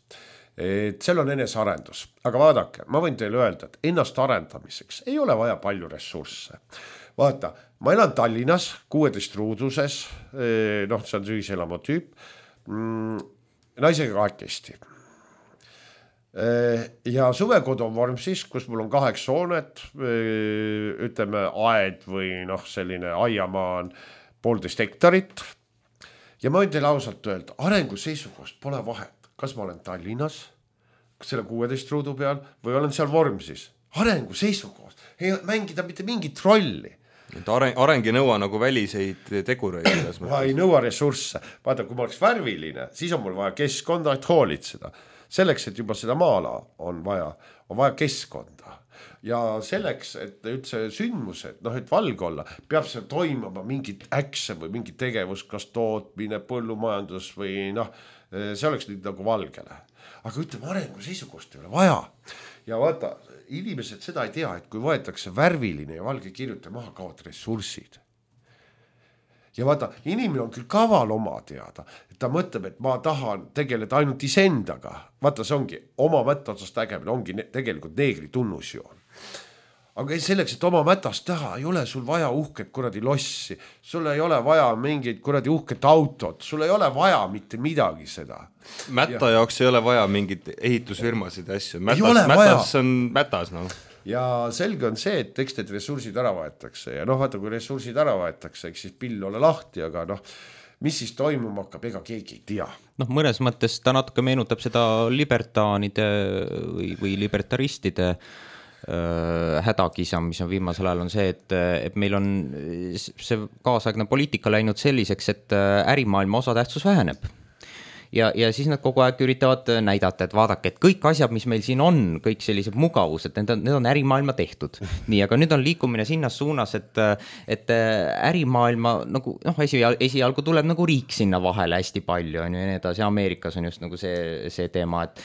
Et seal on enesarendus, aga vaadake, ma võin teile öelda, et ennast arendamiseks ei ole vaja palju ressursse. Vaata, ma elan Tallinnas kuueteist ruuduses, noh, see on ühiselama tüüp, naisega kahekesti. Ja suvekodu on Vormsis, kus mul on kaheks hoonet, ütleme aed või noh, selline aiamaa on poolteist hektarit. Ja ma võin teile ausalt öelda, arengu seisukohast pole vahet. Kas ma olen Tallinnas, selle kuueteist ruudu peal, või olen seal Vormsis. Arengu seisukohas. Ei mängida mitte mingit rolli. Et areng, areng ei nõua nagu väliseid tegureid. Ma ei nõua ressursse. Vaata, kui ma oleks värviline, siis on mul vaja keskkonda, et hoolitseda. Selleks, et juba seda maala on vaja, on vaja keskkonda. Ja selleks, et üldse sündmused, noh, et valge olla, peab see toimuma mingit äkse või mingit tegevus, kas tootmine, põllumajandus või noh, see oleks nüüd nagu valgele. Aga ütleme, arengu seisukohast ei ole vaja. Ja vaata, inimesed seda ei tea, et kui võetakse värviline ja valge kirjutaja maha, kaovad ressursid. Ja vaata, inimene on küll kaval oma teada, et ta mõtleb, et ma tahan tegeleda ainult isendaga. Vaata, see ongi oma mättaotsast tägemine, ongi ne- tegelikult neegri tunnusjoon. Aga selleks, et oma mätast teha, ei ole sul vaja uhket kuradi lossi, sul ei ole vaja mingit kuradi uhket autot, sul ei ole vaja mitte midagi seda. Mätta ja. jaoks ei ole vaja mingit ehitusfirmasid ja asju, mätas, mätas on mätas. No. Ja selge on see, et eks need ressursid ära võetakse ja noh, vaata, kui ressursid ära võetakse, eks siis pill ole lahti, aga noh, mis siis toimuma hakkab, ega keegi ei tea. Noh, mõnes mõttes ta natuke meenutab seda libertaanide või, või libertaristide hädakisa, mis on viimasel ajal on see, et, et meil on see kaasaegne poliitika läinud selliseks, et ärimaailma osatähtsus väheneb. Ja, ja siis nad kogu aeg üritavad näidata, et vaadake, et kõik asjad, mis meil siin on, kõik sellised mugavused, need on, need on ärimaailma tehtud. Nii, aga nüüd on liikumine sinnas suunas, et, et ärimaailma, nagu, noh, esi, esialgu tuleb nagu riik sinna vahele hästi palju, ja nii edasi, Ameerikas on just nagu see, see teema, et,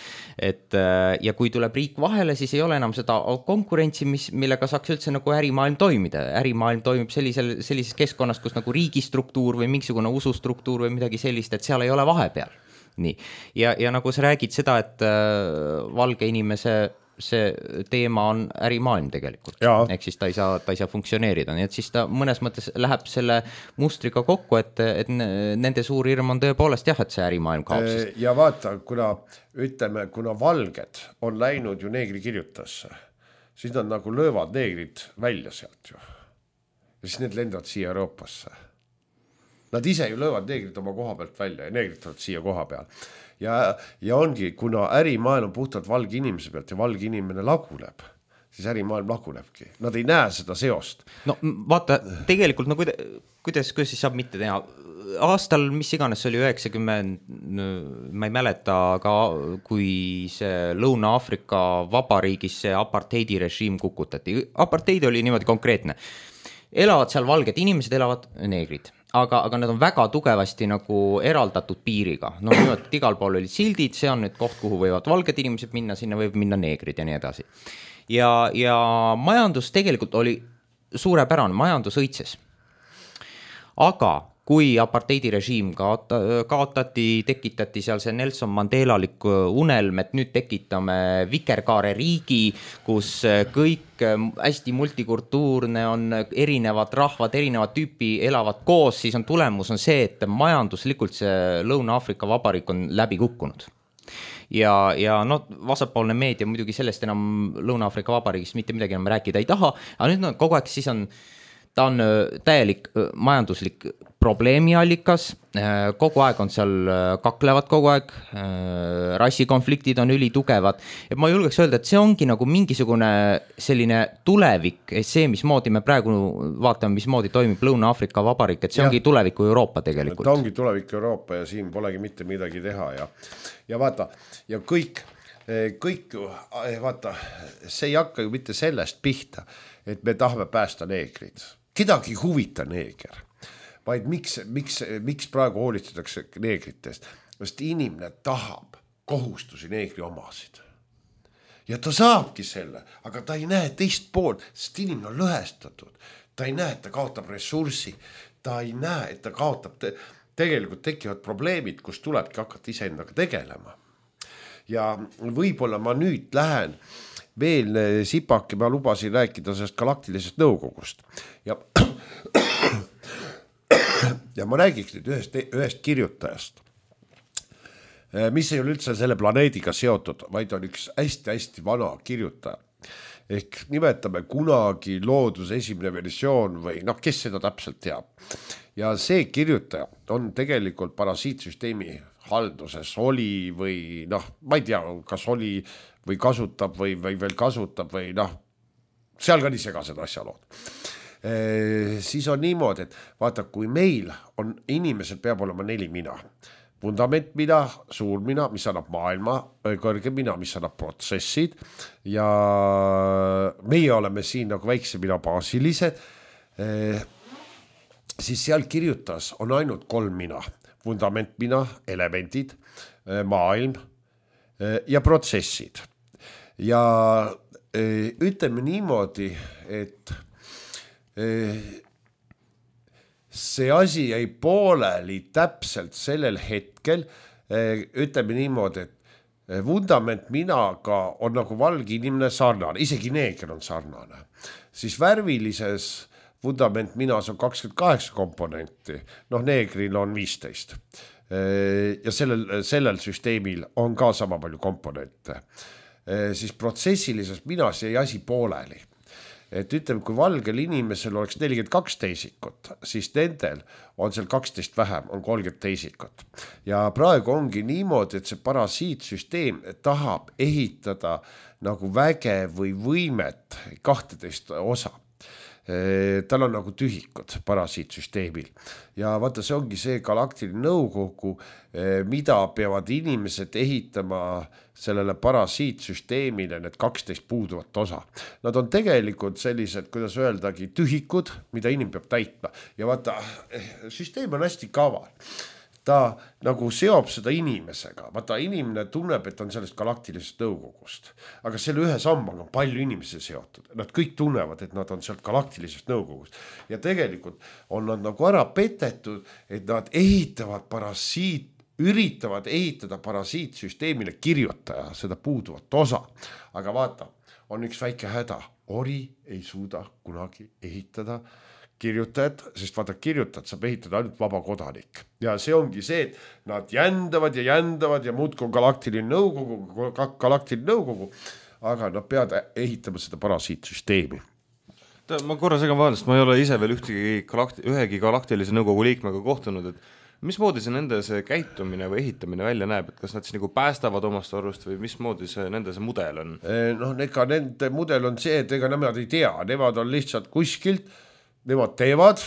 et ja kui tuleb riik vahele, siis ei ole enam seda konkurentsi, mis, millega saaks üldse nagu ärimaailm toimida. Ärimaailm toimib sellisel, sellises keskkonnas, kus nagu riigistruktuur või mingisugune usustruktuur või midagi sellist, et seal ei ole vahepeal. Nii. Ja, ja nagu sa räägid seda, et äh, valge inimese see teema on ärimaailm tegelikult. Ehk siis ta ei saa, ta ei saa funktsioneerida. Nii et siis ta mõnes mõttes läheb selle mustriga kokku, et, et nende suur hirm on tõepoolest jah, et see ärimaailm kaob. Sest... Ja vaata, kuna, ütleme, kuna valged on läinud ju neegri kirjutasse, siis nad nagu löövad neegrid välja sealt ju. Ja siis need lendavad siia Euroopasse. Nad ise ju löövad neegrid oma koha pealt välja ja neegrid tulevad siia koha peal. Ja, ja ongi, kuna ärimaailm on puhtalt valge inimese pealt ja valge inimene laguneb, siis ärimaailm lagunebki. Nad ei näe seda seost. No vaata, tegelikult, no kuidas, kuidas, kuidas siis saab mitte teha? Aastal, mis iganes oli üheksakümmend, ma ei mäleta, aga kui see Lõuna-Aafrika vabariigis see apartheidi režiim kukutati. Apartheid oli niimoodi konkreetne. Elavad seal valged inimesed, elavad neegrid. aga, aga nad on väga tugevasti nagu eraldatud piiriga. No nimelt, et igal pool olid sildid, see on nüüd koht, kuhu võivad valged inimesed minna, sinna võib minna neegrid ja nii edasi. Ja, ja majandus tegelikult oli suurepärane, majandus õitses. Aga kui apartheidirežiim kaota, kaotati, tekitati seal see Nelson Mandelalik unelm, et nüüd tekitame vikerkaare riigi, kus kõik hästi multikultuurne on, erinevad rahvad, erinevad tüüpi elavad koos, siis on tulemus on see, et majanduslikult see Lõuna-Aafrika Vabariik on läbi kukkunud. Ja, ja no vasakpoolne meedia muidugi sellest enam Lõuna-Aafrika Vabariigist mitte midagi enam rääkida ei taha, aga nüüd no, kogu aeg siis on ta on täielik majanduslik probleemiallikas, kogu aeg on seal kaklevad kogu aeg, rassikonfliktid on ülitugevad, et ma julgeks öelda, et see ongi nagu mingisugune selline tulevik, see, mismoodi me praegu vaatame, mismoodi toimib Lõuna-Aafrika Vabariik, et see ongi ja. Tuleviku Euroopa tegelikult. Ta ongi tuleviku Euroopa ja siin polegi mitte midagi teha ja, ja vaata, ja kõik, kõik ju, vaata, see ei hakka ju mitte sellest pihta, et me tahame päästa neegrid. Kedagi huvita neeger, vaid miks, miks, miks praegu hoolitsetakse neegritest, sest inimene tahab kohustusi neegri omasid. Ja ta saabki selle, aga ta ei näe teist poolt, sest inimene on lõhestatud. Ta ei näe, et ta kaotab ressurssi, ta ei näe, et ta kaotab, te, tegelikult tekivad probleemid, kus tulebki hakata iseendaga tegelema. Ja võib-olla ma nüüd lähen veel sipake, ma lubasin rääkida sellest galaktilisest nõukogust. Ja, ja ma räägiks nüüd ühest, ühest kirjutajast, mis ei ole üldse selle planeediga seotud, vaid on üks hästi-hästi vana kirjutaja. Ehk nimetame kunagi looduse esimene versioon või noh, kes seda täpselt teab. Ja see kirjutaja on tegelikult parasiitsüsteemi halduses oli või noh, ma ei tea, kas oli või kasutab või, või veel kasutab või noh, seal ka nii segased asjalood. E, siis on niimoodi, et vaata, kui meil on, inimesel peab olema neli mina. Fundament mina, suur mina, mis annab maailma, kõrge mina, mis annab protsessid ja meie oleme siin nagu väikse mina baasilised, e, siis seal kirjutas on ainult kolm mina. Fundament mina, elemendid, maailm ja protsessid. Ja ütleme niimoodi, et see asi jäi pooleli täpselt sellel hetkel, ütleme niimoodi, et fundament minaga on nagu valge inimene sarnane, isegi neeger on sarnane. Siis värvilises fundament minas on kakskümmend kaheksa komponenti, noh neegril on viisteist. Ja sellel, sellel süsteemil on ka sama palju komponente. Siis protsessilises minas jäi asi pooleli. Et ütleme, kui valgel inimesel oleks nelikümmend kaks teisikut, siis nendel on seal kaksteist vähem, on kolmkümmend teisikut. Ja praegu ongi niimoodi, et see parasiitsüsteem tahab ehitada nagu väge või võimet kahteteist osa. Tal on nagu tühikud parasiitsüsteemil ja vaata, see ongi see galaktiline nõukogu, mida peavad inimesed ehitama sellele parasiitsüsteemile, need kaksteist puuduvat osa. Nad on tegelikult sellised, kuidas öeldagi, tühikud, mida inimene peab täitma ja vaata, süsteem on hästi kaval. Ta nagu seob seda inimesega, vaata inimene tunneb, et on sellest galaktilisest nõukogust, aga selle ühe sammaga on palju inimesi seotud, nad kõik tunnevad, et nad on sealt galaktilisest nõukogust ja tegelikult on nad nagu ära petetud, et nad ehitavad parasiit, üritavad ehitada parasiitsüsteemile kirjutaja seda puuduvat osa, aga vaata, on üks väike häda, ori ei suuda kunagi ehitada kirjutajad, sest vaata kirjutajad saab ehitada ainult vaba kodanik ja see ongi see, et nad jändavad ja jändavad ja muudku on galaktiline nõukogu, galaktiline nõukogu, aga nad peavad ehitama seda parasiitsüsteemi. Ma korra segan vahel, sest ma ei ole ise veel ühtegi galakti, ühegi galaktilise nõukogu liikmega kohtunud, et mismoodi see nende see käitumine või ehitamine välja näeb, et kas nad siis nagu päästavad omast arvust või mismoodi see nende see mudel on? No ega nende mudel on see, et ega nemad ei tea, nemad on lihtsalt kuskilt, nemad teevad,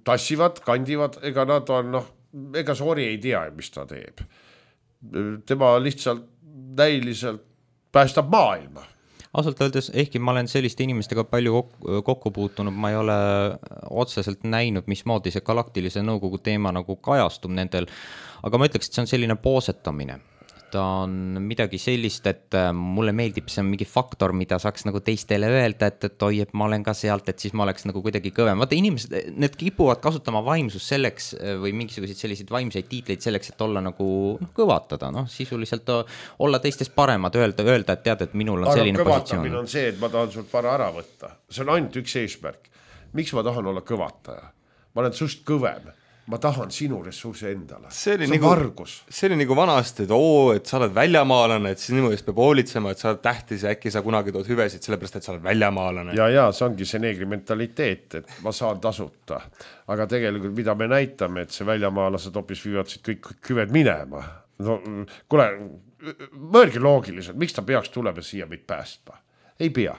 tassivad, kandivad, ega nad on, noh, ega Soori ei tea, mis ta teeb. Tema lihtsalt näiliselt päästab maailma. ausalt öeldes, ehkki ma olen selliste inimestega palju kokku, kokku puutunud, ma ei ole otseselt näinud, mismoodi see galaktilise nõukogu teema nagu kajastub nendel, aga ma ütleks, et see on selline poosetamine. Ta on midagi sellist, et mulle meeldib, see on mingi faktor, mida saaks nagu teistele öelda, et, et oi, et ma olen ka sealt, et siis ma oleks nagu kuidagi kõvem. Vaata, inimesed, need kipuvad kasutama vaimsust selleks või mingisuguseid selliseid vaimseid tiitleid selleks, et olla nagu noh, kõvatada, noh, sisuliselt olla teistest paremad, öelda, öelda, et tead, et minul on aga selline positsioon. Kõvatamine on see, et ma tahan sult vara ära võtta. See on ainult üks eesmärk. Miks ma tahan olla kõvataja? Ma olen sust kõvem. Ma tahan sinu ressursi endale. See oli, see nagu, vargus. See oli nagu vanasti, et oo, et sa oled väljamaalane, et sinu eest peab hoolitsema, et sa oled tähtis ja äkki sa kunagi tood hüvesid, sellepärast, et sa oled väljamaalane. Ja, ja, see ongi see neegri mentaliteet, et ma saan tasuta. Aga tegelikult, mida me näitame, et see väljamaalased hoopis viivad siit kõik hüved minema. No, kuule, mõelge loogiliselt, miks ta peaks tulema siia meid päästma? Ei pea.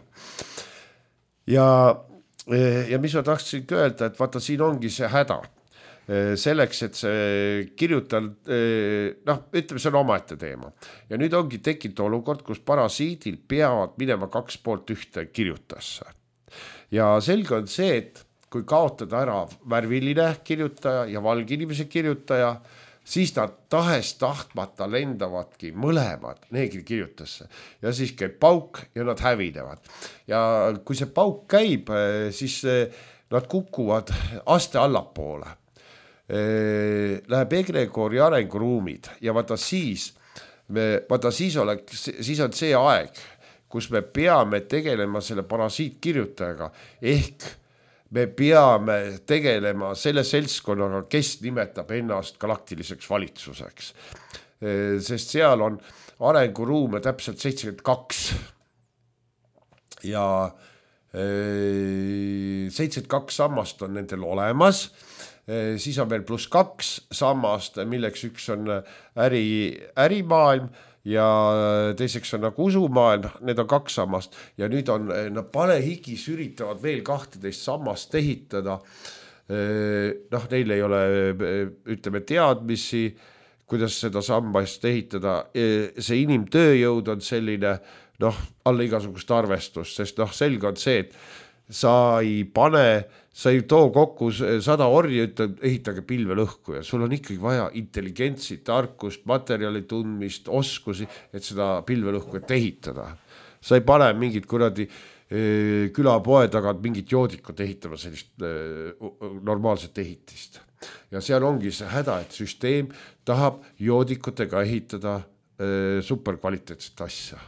Ja, ja mis ma tahtsin öelda, et vaata, siin ongi see häda. Selleks, et see kirjutal, noh, ütleme, see on omaette teema. Ja nüüd ongi tekkinud olukord, kus parasiidil peavad minema kaks poolt ühte kirjutasse. Ja selge on see, et kui kaotada ära värviline kirjutaja ja valginimese kirjutaja, siis nad tahes tahtmata lendavadki mõlemad neegri kirjutasse. Ja siis käib pauk ja nad hävinevad. Ja kui see pauk käib, siis nad kukuvad aste allapoole. Läheb egregoori arenguruumid ja vaata siis, me, vaata siis, oleks, siis on see aeg, kus me peame tegelema selle parasiitkirjutajaga, ehk me peame tegelema selle seltskonnaga, kes nimetab ennast galaktiliseks valitsuseks. Sest seal on arenguruume täpselt seitsekümmend kaks ja seitsekümmend kaks sammast on nendel olemas. Siis on veel pluss kaks sammast, milleks üks on äri, ärimaailm ja teiseks on nagu usumaailm, need on kaks sammast ja nüüd on, nad palehigis üritavad veel kahteteist sammast ehitada. Noh, neil ei ole, ütleme, teadmisi, kuidas seda sammast ehitada. See inimtööjõud on selline, noh, alla igasugust arvestust, sest noh, selge on see, et sa ei pane, sa ei too kokku sada orja, ütled, ehitage pilvel õhku ja sul on ikkagi vaja intelligentsi, tarkust, materjali tundmist, oskusi, et seda pilvel õhku et ehitada. Sa ei pane mingit kuradi külapoe tagant mingit joodikut ehitama sellist normaalset ehitist. Ja seal ongi see häda, et süsteem tahab joodikutega ehitada superkvaliteetset asja.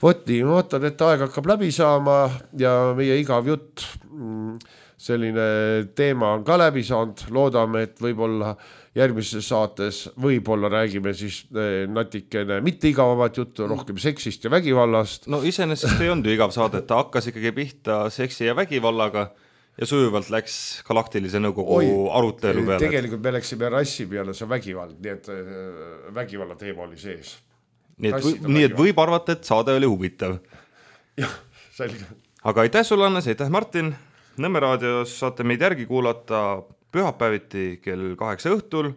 Vot nii, ma vaatan, et aeg hakkab läbi saama ja meie igav jutt, selline teema on ka läbi saanud. Loodame, et võib-olla järgmises saates võib-olla räägime siis natikene mitte igavamat juttu, rohkem seksist ja vägivallast. No iseenesest ei olnud ju igav saade, et ta hakkas ikkagi pihta seksi ja vägivallaga ja sujuvalt läks galaktilise nõukogu Oi, arutelu peale. Tegelikult me läksime rassi peale, see vägivald, nii et vägivalla teema oli sees. Nii et, või, nii et võib arvata, et saade oli huvitav. Jah, selge. Aga aitäh sulle, Annes, aitäh Martin. Nõmme raadios saate meid järgi kuulata pühapäeviti kell kaheksa õhtul,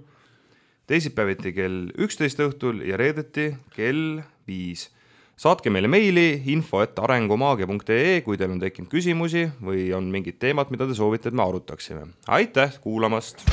teisipäeviti kell üksteist õhtul ja reedeti kell viis. Saatke meile meili info et arengumaagia punkt ee, kui teil on tekkinud küsimusi või on mingid teemad, mida te soovite, et me arutaksime. Aitäh kuulamast!